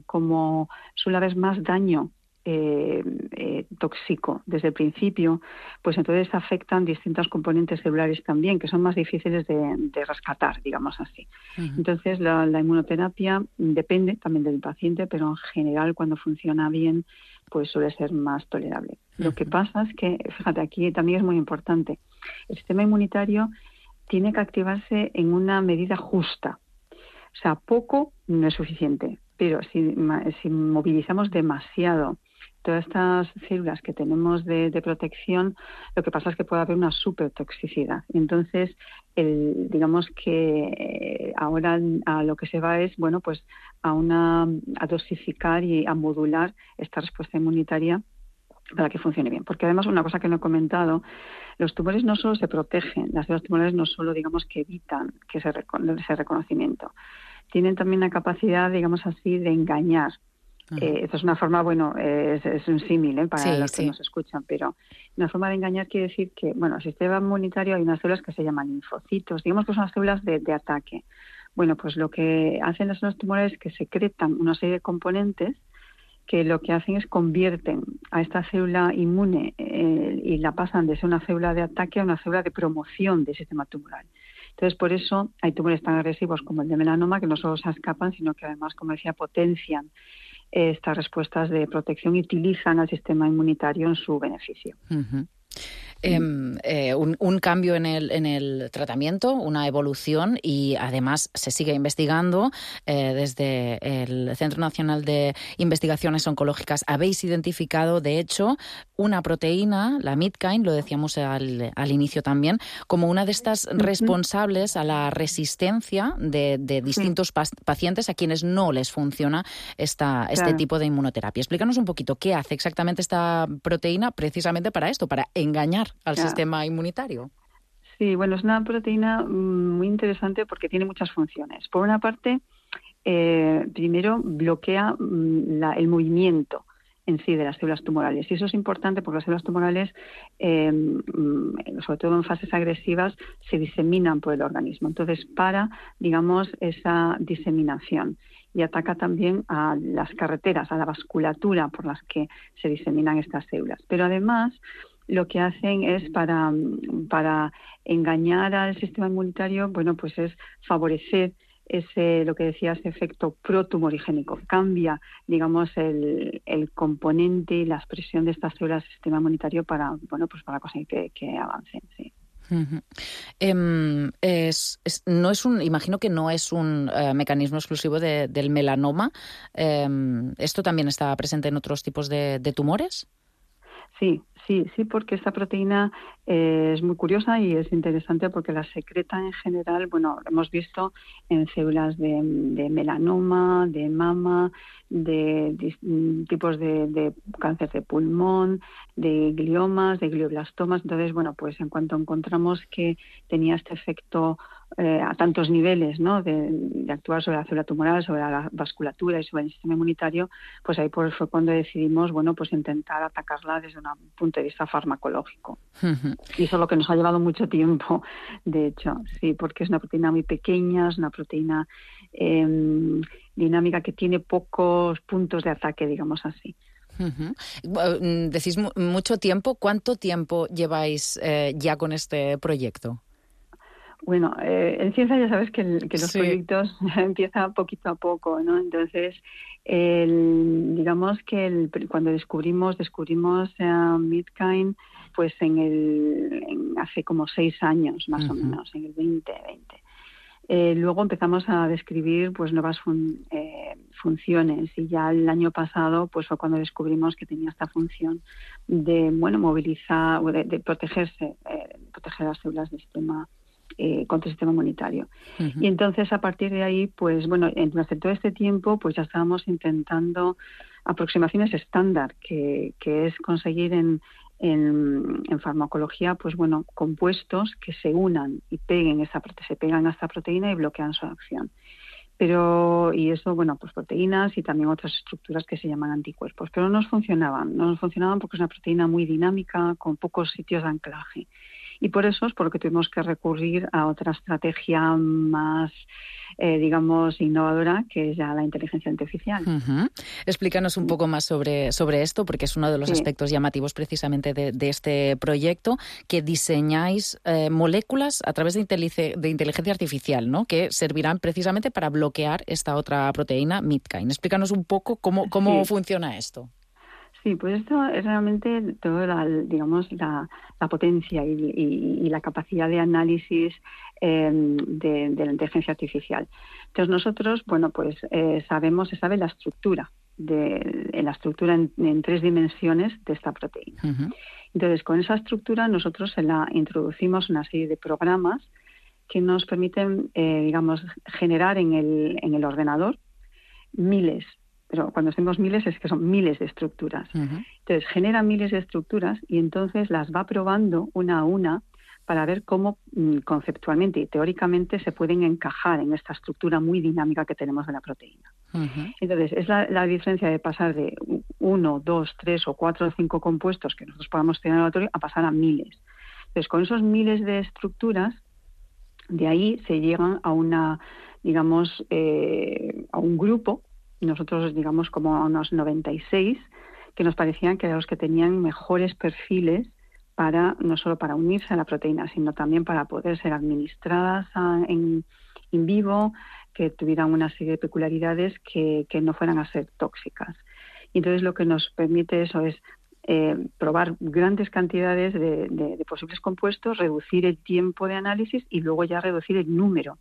como suele haber más daño Eh, eh, tóxico desde el principio, pues entonces afectan distintos componentes celulares también, que son más difíciles de, de rescatar, digamos así. Uh-huh. Entonces la, la inmunoterapia depende también del paciente, pero en general cuando funciona bien, pues suele ser más tolerable. Uh-huh. Lo que pasa es que, fíjate, aquí también es muy importante, el sistema inmunitario tiene que activarse en una medida justa. O sea, poco no es suficiente, pero si, si movilizamos demasiado todas estas células que tenemos de, de protección, lo que pasa es que puede haber una supertoxicidad. Entonces, el, digamos que ahora a lo que se va es, bueno, pues a una a dosificar y a modular esta respuesta inmunitaria para que funcione bien. Porque además, una cosa que no he comentado, los tumores no solo se protegen, las células tumorales no solo, digamos, que evitan que ese, ese reconocimiento, tienen también la capacidad, digamos así, de engañar. Uh-huh. Eh, esto es una forma, bueno, eh, es, es un símil eh, para sí, los que sí. nos escuchan, pero una forma de engañar quiere decir que, bueno, el sistema inmunitario hay unas células que se llaman linfocitos, digamos que son las células de, de ataque. Bueno, pues lo que hacen las células tumorales es que secretan una serie de componentes que lo que hacen es convierten a esta célula inmune eh, y la pasan de ser una célula de ataque a una célula de promoción del sistema tumoral. Entonces, por eso hay tumores tan agresivos como el de melanoma que no solo se escapan, sino que además, como decía, potencian estas respuestas de protección y utilizan al sistema inmunitario en su beneficio. Uh-huh. Eh, eh, un, un cambio en el, en el tratamiento, una evolución, y además se sigue investigando eh, desde el Centro Nacional de Investigaciones Oncológicas. Habéis identificado, de hecho, una proteína, la Midkine, lo decíamos al, al inicio también, como una de estas uh-huh. responsables a la resistencia de, de distintos sí. pa- pacientes a quienes no les funciona esta, este claro. tipo de inmunoterapia. Explícanos un poquito qué hace exactamente esta proteína precisamente para esto, para engañar al claro. sistema inmunitario. Sí, bueno, es una proteína muy interesante porque tiene muchas funciones. Por una parte, eh, primero bloquea la, el movimiento en sí de las células tumorales. Y eso es importante porque las células tumorales, eh, sobre todo en fases agresivas, se diseminan por el organismo. Entonces, para, digamos, esa diseminación. Y ataca también a las carreteras, a la vasculatura por las que se diseminan estas células. Pero además, lo que hacen es para, para engañar al sistema inmunitario, bueno, pues es favorecer ese, lo que decía, ese efecto protumorigénico. Cambia, digamos, el, el componente y la expresión de estas células del sistema inmunitario para, bueno, pues para conseguir que, que avancen, sí. Uh-huh. Eh, es, es, no es un, imagino que no es un uh, mecanismo exclusivo de, del melanoma. Eh, ¿Esto también está presente en otros tipos de, de tumores? Sí, sí, sí, porque esta proteína eh, es muy curiosa y es interesante porque la secreta en general, bueno, lo hemos visto en células de, de melanoma, de mama, de, de tipos de, de cáncer de pulmón, de gliomas, de glioblastomas. Entonces, bueno, pues en cuanto encontramos que tenía este efecto eh, a tantos niveles, ¿no?, de, de actuar sobre la célula tumoral, sobre la vasculatura y sobre el sistema inmunitario, pues ahí pues fue cuando decidimos, bueno, pues intentar atacarla desde un punto de vista farmacológico. Uh-huh. Y eso es lo que nos ha llevado mucho tiempo, de hecho, sí, porque es una proteína muy pequeña, es una proteína eh, dinámica que tiene pocos puntos de ataque, digamos así. Uh-huh. Decís mucho tiempo. ¿Cuánto tiempo lleváis eh, ya con este proyecto? Bueno, eh, en ciencia ya sabes que, el, que los sí. proyectos empiezan poquito a poco, ¿no? Entonces, el, digamos que el, cuando descubrimos descubrimos uh, Midkind, pues en el en hace como seis años más uh-huh. o menos, en el veinte veinte. Eh, luego empezamos a describir pues nuevas fun, eh, funciones y ya el año pasado pues fue cuando descubrimos que tenía esta función de bueno movilizar, de, de protegerse, eh, proteger las células del sistema Eh, contra el sistema inmunitario. Uh-huh. Y entonces a partir de ahí, pues bueno, durante todo este tiempo pues ya estábamos intentando aproximaciones estándar, que, que es conseguir en, en, en farmacología, pues bueno, compuestos que se unan y peguen esa, se pegan a esta proteína y bloquean su acción. Pero, y eso, bueno, pues proteínas y también otras estructuras que se llaman anticuerpos, pero no nos funcionaban, no nos funcionaban porque es una proteína muy dinámica, con pocos sitios de anclaje. Y por eso es por lo que tuvimos que recurrir a otra estrategia más, eh, digamos, innovadora, que es ya la inteligencia artificial. Uh-huh. Explícanos un poco más sobre, sobre esto, porque es uno de los sí. aspectos llamativos precisamente de, de este proyecto, que diseñáis eh, moléculas a través de, intelice, de inteligencia artificial, ¿no?, que servirán precisamente para bloquear esta otra proteína, Midkind. Explícanos un poco cómo, cómo sí. funciona esto. Sí, pues esto es realmente toda la, digamos, la, la potencia y, y, y la capacidad de análisis eh, de, de la inteligencia artificial. Entonces nosotros, bueno, pues eh, sabemos, se sabe la estructura, de, la estructura en, en tres dimensiones de esta proteína. Uh-huh. Entonces, con esa estructura nosotros se la introducimos una serie de programas que nos permiten, eh, digamos, generar en el, en el ordenador miles. Pero cuando decimos miles es que son miles de estructuras. Uh-huh. Entonces, genera miles de estructuras y entonces las va probando una a una para ver cómo mm, conceptualmente y teóricamente se pueden encajar en esta estructura muy dinámica que tenemos de la proteína. Uh-huh. Entonces, es la, la diferencia de pasar de uno, dos, tres o cuatro o cinco compuestos que nosotros podamos tener en el laboratorio a pasar a miles. Entonces, con esos miles de estructuras, de ahí se llegan a una, digamos, eh, a un grupo. Nosotros, digamos, como unos noventa y seis, que nos parecían que eran los que tenían mejores perfiles para, no solo para unirse a la proteína, sino también para poder ser administradas a, en in vivo, que tuvieran una serie de peculiaridades que, que no fueran a ser tóxicas. Y entonces lo que nos permite eso es eh, probar grandes cantidades de, de, de posibles compuestos, reducir el tiempo de análisis y luego ya reducir el número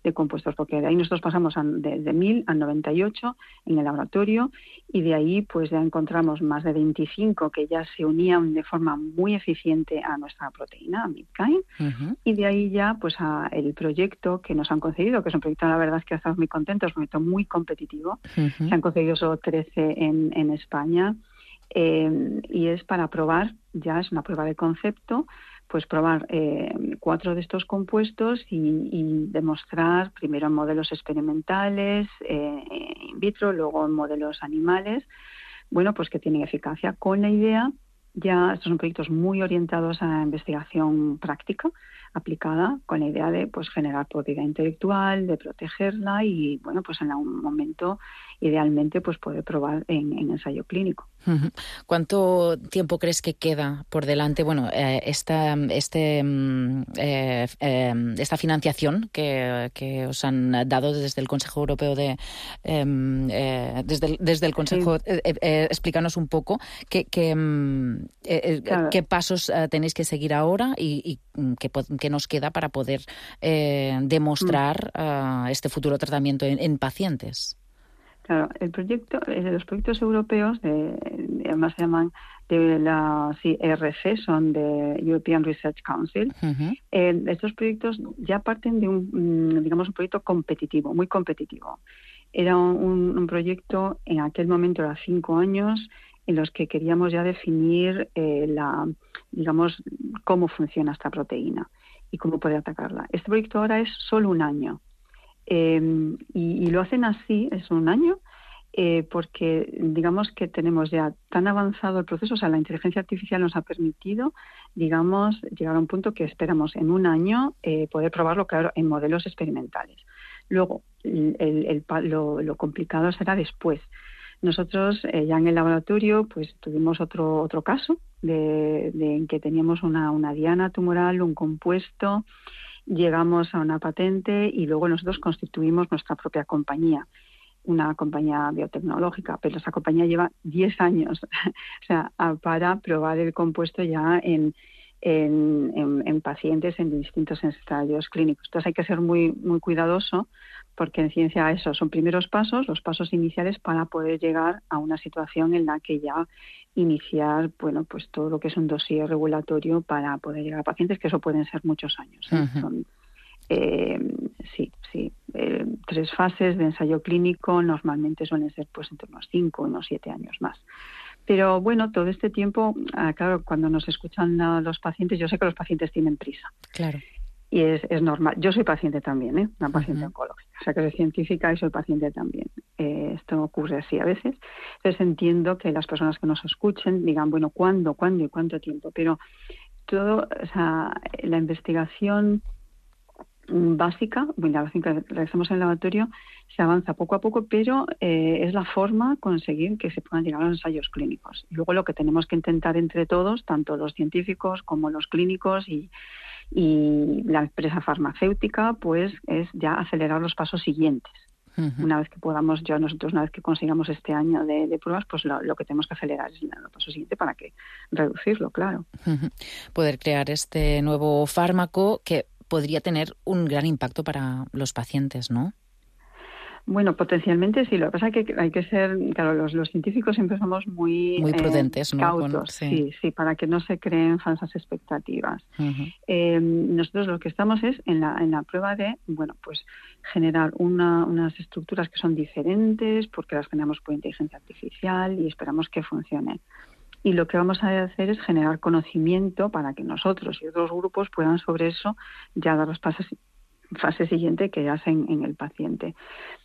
de compuestos, porque de ahí nosotros pasamos a, de, de mil a noventa y ocho en el laboratorio y de ahí pues ya encontramos más de veinticinco que ya se unían de forma muy eficiente a nuestra proteína, a Midkind, uh-huh. y de ahí ya pues a el proyecto que nos han concedido, que es un proyecto, la verdad es que estamos muy contentos, un proyecto muy competitivo, uh-huh. se han concedido solo trece en, en España, eh, y es para probar, ya es una prueba de concepto, pues probar eh, cuatro de estos compuestos y, y demostrar primero en modelos experimentales, eh, in vitro, luego en modelos animales, bueno, pues que tienen eficacia con la idea. Ya estos son proyectos muy orientados a investigación práctica aplicada, con la idea de pues generar propiedad intelectual, de protegerla y bueno, pues en algún momento idealmente pues poder probar en, en ensayo clínico. ¿Cuánto tiempo crees que queda por delante? Bueno, eh, esta este eh, eh, esta financiación que, que os han dado desde el Consejo Europeo de eh, eh, desde el, desde el Consejo, sí. eh, eh, explícanos un poco qué qué, eh, claro. qué pasos eh, tenéis que seguir ahora y, y qué, qué nos queda para poder eh, demostrar mm. uh, este futuro tratamiento en, en pacientes. Claro, el proyecto, los proyectos europeos, de, además se llaman de la sí, E R C, son de European Research Council. Uh-huh. Eh, estos proyectos ya parten de un, digamos, un proyecto competitivo, muy competitivo. Era un, un proyecto, en aquel momento era cinco años, en los que queríamos ya definir eh, la, digamos, cómo funciona esta proteína y cómo poder atacarla. Este proyecto ahora es solo un año. Eh, y, y lo hacen así, es un año, eh, porque digamos que tenemos ya tan avanzado el proceso, o sea, la inteligencia artificial nos ha permitido, digamos, llegar a un punto que esperamos en un año eh, poder probarlo, claro, en modelos experimentales. Luego, el, el, el, lo, lo complicado será después. Nosotros eh, ya en el laboratorio pues tuvimos otro otro caso de, de en que teníamos una, una diana tumoral, un compuesto. Llegamos a una patente y luego nosotros constituimos nuestra propia compañía, una compañía biotecnológica, pero esa compañía lleva diez años o sea, para probar el compuesto ya en, en, en, en pacientes en distintos ensayos clínicos. Entonces hay que ser muy, muy cuidadoso porque en ciencia esos son primeros pasos, los pasos iniciales para poder llegar a una situación en la que ya iniciar, bueno, pues todo lo que es un dossier regulatorio para poder llegar a pacientes, que eso pueden ser muchos años. ¿eh? Uh-huh. Son, eh, sí, sí, eh, tres fases de ensayo clínico normalmente suelen ser pues entre unos cinco y unos siete años más. Pero bueno, todo este tiempo, ah, claro, cuando nos escuchan a los pacientes, yo sé que los pacientes tienen prisa. Claro. Y es, es normal. Yo soy paciente también, ¿eh? Una paciente uh-huh. oncológica. O sea, que soy científica y soy paciente también. Eh, esto ocurre así a veces. Entonces entiendo que las personas que nos escuchen digan, bueno, ¿cuándo, cuándo y cuánto tiempo? Pero todo, o sea, la investigación básica, bueno, la que realizamos en el laboratorio, se avanza poco a poco, pero eh, es la forma conseguir que se puedan llegar a los ensayos clínicos. Y luego lo que tenemos que intentar entre todos, tanto los científicos como los clínicos y y la empresa farmacéutica, pues es ya acelerar los pasos siguientes. Uh-huh. Una vez que podamos, ya nosotros una vez que consigamos este año de, de pruebas, pues lo, lo que tenemos que acelerar es el paso siguiente para que reducirlo, claro. Uh-huh. Poder crear este nuevo fármaco que podría tener un gran impacto para los pacientes, ¿no? Bueno, potencialmente sí. Lo que pasa es que hay que ser, claro, los, los científicos siempre somos muy, muy prudentes, eh, ¿no? cautos, Con, sí. sí, sí, para que no se creen falsas expectativas. Uh-huh. Eh, nosotros lo que estamos es en la, en la prueba de, bueno, pues generar una, unas estructuras que son diferentes, porque las generamos por inteligencia artificial y esperamos que funcionen. Y lo que vamos a hacer es generar conocimiento para que nosotros y otros grupos puedan sobre eso ya dar los pasos fase siguiente que hacen en el paciente.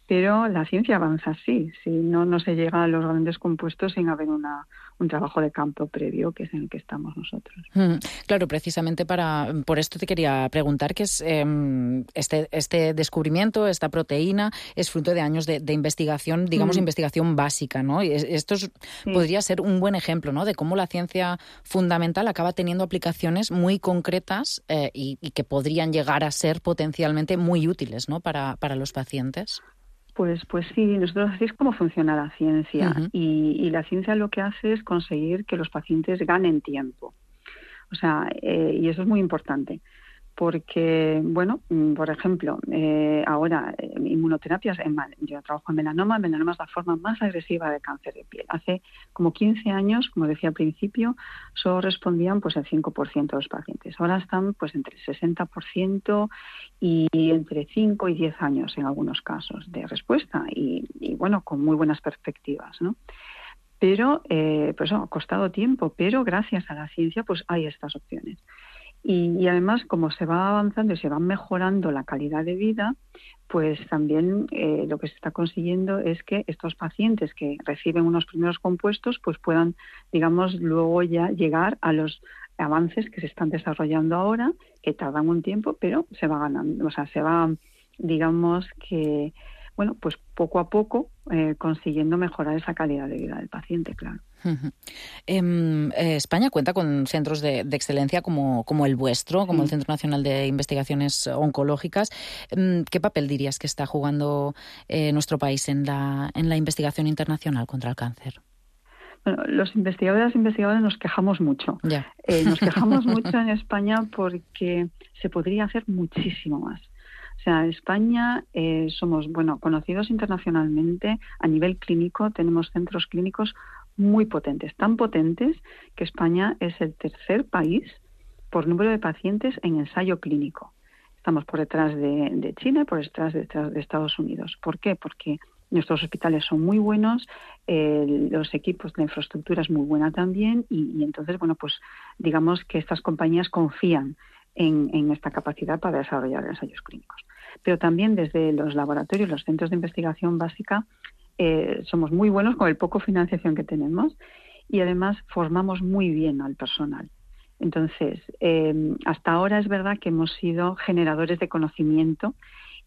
Pero la ciencia avanza así, si no, no se llega a los grandes compuestos sin haber una, un trabajo de campo previo, que es en el que estamos nosotros. Mm, claro, precisamente para por esto te quería preguntar, que es eh, este, este descubrimiento, esta proteína, es fruto de años de, de investigación, digamos, mm. investigación básica, ¿no? Y esto es, sí. podría ser un buen ejemplo, ¿no?, de cómo la ciencia fundamental acaba teniendo aplicaciones muy concretas eh, y, y que podrían llegar a ser potencialmente muy útiles, ¿no?, para, para los pacientes. Pues, pues sí, nosotros así es como funciona la ciencia. Uh-huh. y, y la ciencia lo que hace es conseguir que los pacientes ganen tiempo. O sea, eh, y eso es muy importante. Porque, bueno, por ejemplo, eh, ahora eh, inmunoterapias, en, yo trabajo en melanoma, melanoma es la forma más agresiva de cáncer de piel. Hace como quince años, como decía al principio, solo respondían pues el cinco por ciento de los pacientes. Ahora están pues entre el sesenta por ciento y entre cinco y diez años en algunos casos de respuesta y, y bueno, con muy buenas perspectivas, ¿no? Pero, eh, pues oh, ha costado tiempo, pero gracias a la ciencia pues hay estas opciones. Y, y además, como se va avanzando y se va mejorando la calidad de vida, pues también eh, lo que se está consiguiendo es que estos pacientes que reciben unos primeros compuestos pues puedan, digamos, luego ya llegar a los avances que se están desarrollando ahora, que tardan un tiempo, pero se va ganando, o sea, se va, digamos que, bueno, pues poco a poco eh, consiguiendo mejorar esa calidad de vida del paciente, claro. Uh-huh. Eh, eh, España cuenta con centros de, de excelencia como, como el vuestro, como sí. el Centro Nacional de Investigaciones Oncológicas. Eh, ¿Qué papel dirías que está jugando eh, nuestro país en la, en la investigación internacional contra el cáncer? Bueno, los investigadores e investigadores nos quejamos mucho. Yeah. Eh, nos quejamos mucho en España porque se podría hacer muchísimo más. O sea, España eh, somos, bueno, conocidos internacionalmente a nivel clínico, tenemos centros clínicos muy potentes, tan potentes que España es el tercer país por número de pacientes en ensayo clínico. Estamos por detrás de, de China y por detrás de, de Estados Unidos. ¿Por qué? Porque nuestros hospitales son muy buenos, eh, los equipos, la infraestructura es muy buena también y, y entonces, bueno, pues digamos que estas compañías confían en, en esta capacidad para desarrollar ensayos clínicos. Pero también desde los laboratorios, los centros de investigación básica, Eh, somos muy buenos con el poco financiación que tenemos y además formamos muy bien al personal. Entonces, eh, hasta ahora es verdad que hemos sido generadores de conocimiento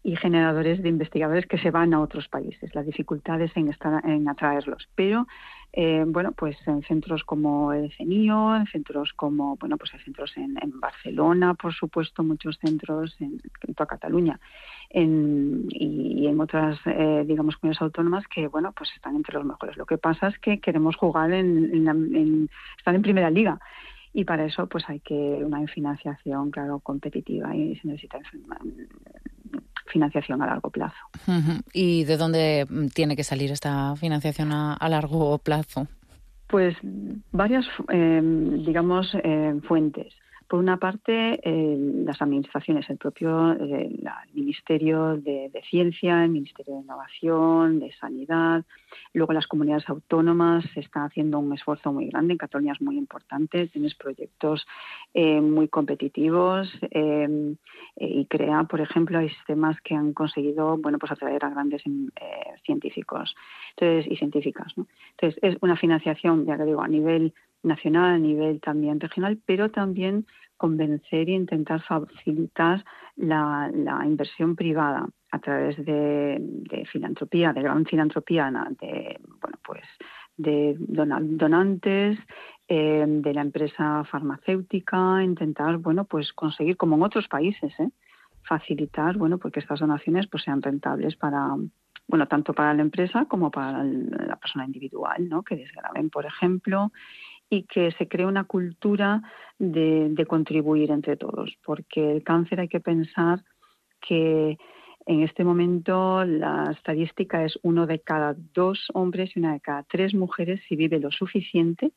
y generadores de investigadores que se van a otros países. La dificultad es en, estar, en atraerlos. Pero, eh, bueno, pues en centros como el CENIO, en centros como, bueno, pues hay centros en, en Barcelona, por supuesto, muchos centros en, en toda Cataluña en, y, y en otras, eh, digamos, comunidades autónomas que, bueno, pues están entre los mejores. Lo que pasa es que queremos jugar en, en, en estar en primera liga. Y para eso pues hay que una financiación, claro, competitiva y se necesita financiación a largo plazo. Uh-huh. ¿Y de dónde tiene que salir esta financiación a, a largo plazo? Pues varias, eh, digamos, eh, fuentes. Por una parte, eh, las administraciones, el propio eh, la, el Ministerio de, de Ciencia, el Ministerio de Innovación, de Sanidad. Luego las comunidades autónomas se están haciendo un esfuerzo muy grande. En Cataluña es muy importante. Tienes proyectos eh, muy competitivos eh, y CREA, por ejemplo, hay sistemas que han conseguido, bueno, pues atraer a grandes eh, científicos entonces, y científicas, ¿no? Entonces, es una financiación, ya que digo, a nivel nacional, a nivel también regional, pero también convencer e intentar facilitar la, la inversión privada a través de, de filantropía, de gran filantropía, de, bueno, pues de donantes, eh, de la empresa farmacéutica, intentar, bueno, pues conseguir, como en otros países, ¿eh? facilitar, bueno, porque estas donaciones pues sean rentables para, bueno, tanto para la empresa como para la persona individual, ¿no? Que desgraven, por ejemplo, y que se cree una cultura de, de contribuir entre todos, porque el cáncer hay que pensar que en este momento la estadística es uno de cada dos hombres y una de cada tres mujeres, si vive lo suficiente,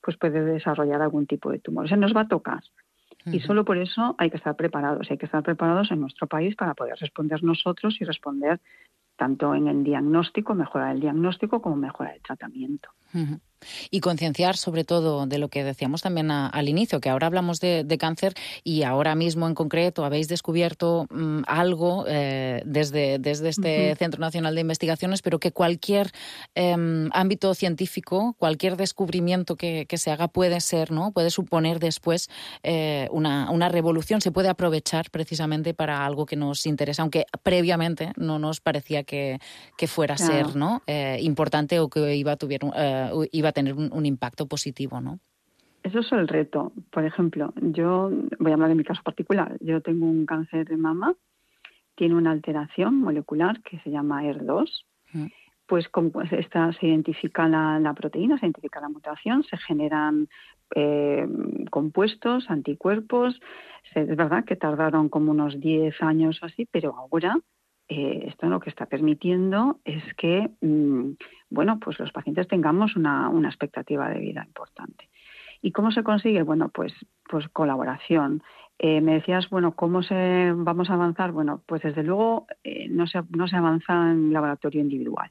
pues puede desarrollar algún tipo de tumor. O sea, nos va a tocar. Uh-huh. Y solo por eso hay que estar preparados. Hay que estar preparados en nuestro país para poder responder nosotros y responder tanto en el diagnóstico, mejorar el diagnóstico, como mejorar el tratamiento. Uh-huh. Y concienciar sobre todo de lo que decíamos también a, al inicio, que ahora hablamos de, de cáncer y ahora mismo en concreto habéis descubierto um, algo eh, desde, desde este uh-huh. Centro Nacional de Investigaciones, pero que cualquier eh, ámbito científico, cualquier descubrimiento que, que se haga puede ser, ¿no? Puede suponer después eh, una, una revolución, se puede aprovechar precisamente para algo que nos interesa, aunque previamente no nos parecía que, que fuera a claro. ser, ¿no? eh, importante o que iba a, tuvier, uh, iba a tener un, un impacto positivo, ¿no? Eso es el reto. Por ejemplo, yo voy a hablar de mi caso particular. Yo tengo un cáncer de mama, tiene una alteración molecular que se llama E R dos. Mm. Pues como esta, se identifica la, la proteína, se identifica la mutación, se generan eh, compuestos, anticuerpos. Es verdad que tardaron como unos diez años o así, pero ahora Eh, esto lo que está permitiendo es que, mmm, bueno, pues los pacientes tengamos una, una expectativa de vida importante. ¿Y cómo se consigue? Bueno, pues, pues colaboración. Eh, me decías, bueno, ¿cómo se vamos a avanzar? Bueno, pues desde luego eh, no se, no se avanza en laboratorio individual.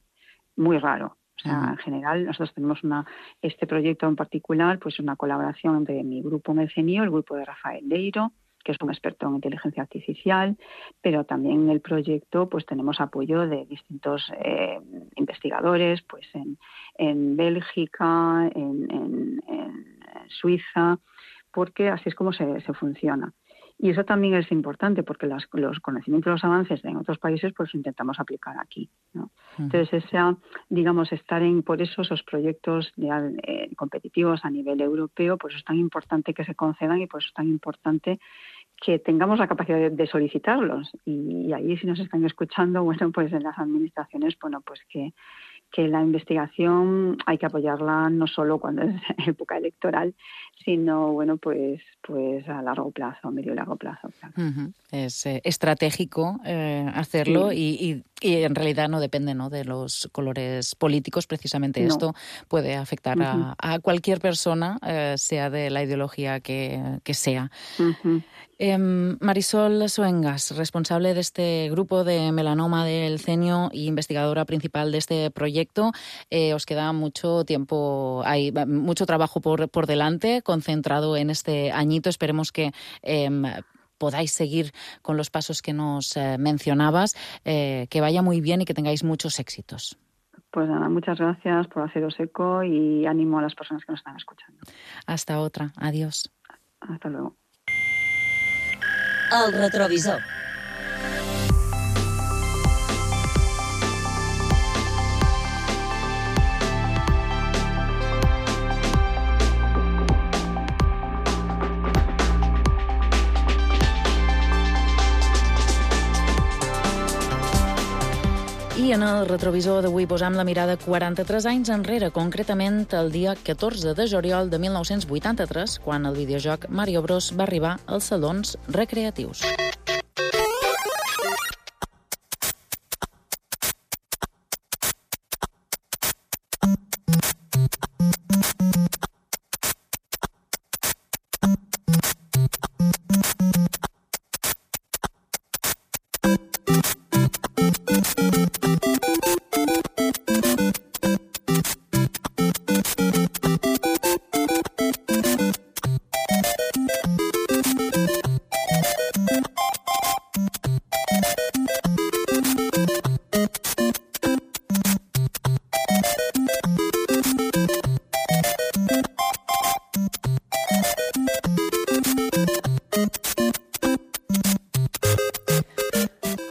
Muy raro. O sea, uh-huh. en general, nosotros tenemos una este proyecto en particular, pues una colaboración entre mi grupo en el CENIO, el grupo de Rafael Leiro, que es un experto en inteligencia artificial, pero también en el proyecto pues tenemos apoyo de distintos eh, investigadores pues en, en Bélgica, en, en, en Suiza, porque así es como se, se funciona. Y eso también es importante porque las, los conocimientos, los avances en otros países, pues los intentamos aplicar aquí, ¿no? Uh-huh. Entonces, esa, digamos, estar en, por eso esos proyectos de, eh, competitivos a nivel europeo, pues es tan importante que se concedan y pues es tan importante que tengamos la capacidad de, de solicitarlos. Y, y ahí, si nos están escuchando, bueno, pues en las administraciones, bueno, pues que que la investigación hay que apoyarla no solo cuando es época electoral, sino bueno pues pues a largo plazo, a medio y largo plazo. Claro. Uh-huh. Es eh, estratégico eh, hacerlo sí. y, y, y en realidad no depende, ¿no?, de los colores políticos. Precisamente no. Esto puede afectar uh-huh. a, a cualquier persona, eh, sea de la ideología que, que sea. Uh-huh. Eh, Marisol Soengas, responsable de este grupo de melanoma del CENIO y investigadora principal de este proyecto. Eh, os queda mucho tiempo, hay mucho trabajo por, por delante, concentrado en este añito. Esperemos que eh, podáis seguir con los pasos que nos eh, mencionabas, eh, que vaya muy bien y que tengáis muchos éxitos. Pues nada, muchas gracias por haceros eco y ánimo a las personas que nos están escuchando. Hasta otra. Adiós. Hasta luego. El retrovisor. I en el retrovisor d'avui posam la mirada quaranta-tres anys enrere, concretament el dia catorze de juliol de mil nou-cents vuitanta-tres, quan el videojoc Mario Bros va arribar als salons recreatius.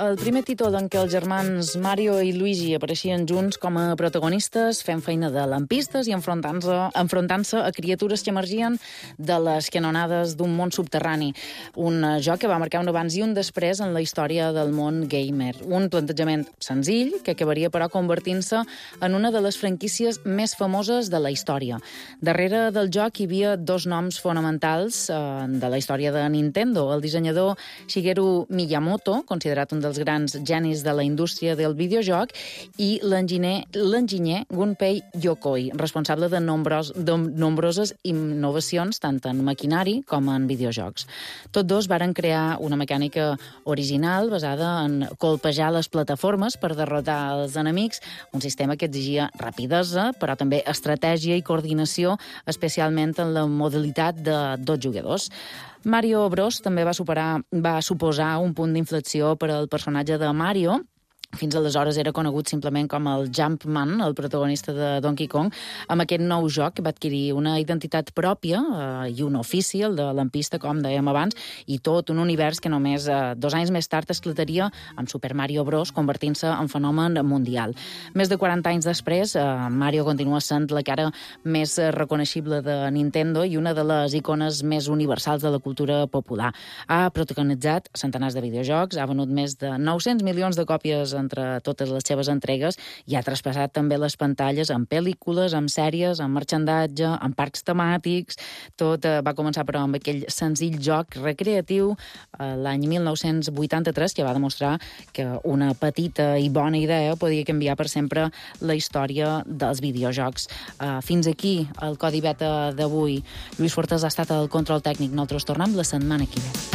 El primer títol en què els germans Mario i Luigi apareixien junts com a protagonistes, fent feina de lampistes i enfrontant-se enfrontant-se a criatures que emergien de les canonades d'un món subterrani. Un joc que va marcar un abans i un després en la història del món gamer. Un plantejament senzill que acabaria, però, convertint-se en una de les franquícies més famoses de la història. Darrere del joc hi havia dos noms fonamentals eh, de la història de Nintendo. El dissenyador Shigeru Miyamoto, considerat un dels grans genis de la indústria del videojoc, i l'enginyer l'enginyer Gunpei Yokoi, responsable de, nombros, de nombroses innovacions tant en maquinari com en videojocs. Tots dos varen crear una mecànica original basada en colpejar les plataformes per derrotar els enemics, un sistema que exigia rapidesa, però també estratègia i coordinació, especialment en la modalitat de dos jugadors. Mario Bros també va superar, va suposar un punt d'inflexió per al personatge de Mario. Fins aleshores era conegut simplement com el Jumpman, el protagonista de Donkey Kong. Amb aquest nou joc va adquirir una identitat pròpia eh, i un ofici, el de lampista, com dèiem abans, i tot un univers que només eh, dos anys més tard esclataria amb Super Mario Bros, convertint-se en fenomen mundial. Més de quaranta anys després, eh, Mario continua sent la cara més reconeixible de Nintendo i una de les icones més universals de la cultura popular. Ha protagonitzat centenars de videojocs, ha venut més de nou-cents milions de còpies entre totes les seves entregues i ha traspassat també les pantalles en pel·lícules, en sèries, en marxandatge, en parcs temàtics. Tot eh, va començar, però, amb aquell senzill joc recreatiu eh, l'any mil nou-cents vuitanta-tres, que va demostrar que una petita i bona idea podia canviar per sempre la història dels videojocs. Eh, fins aquí el Codi Beta d'avui. Lluís Fortes ha estat el control tècnic. Nosaltres tornem la setmana que ve.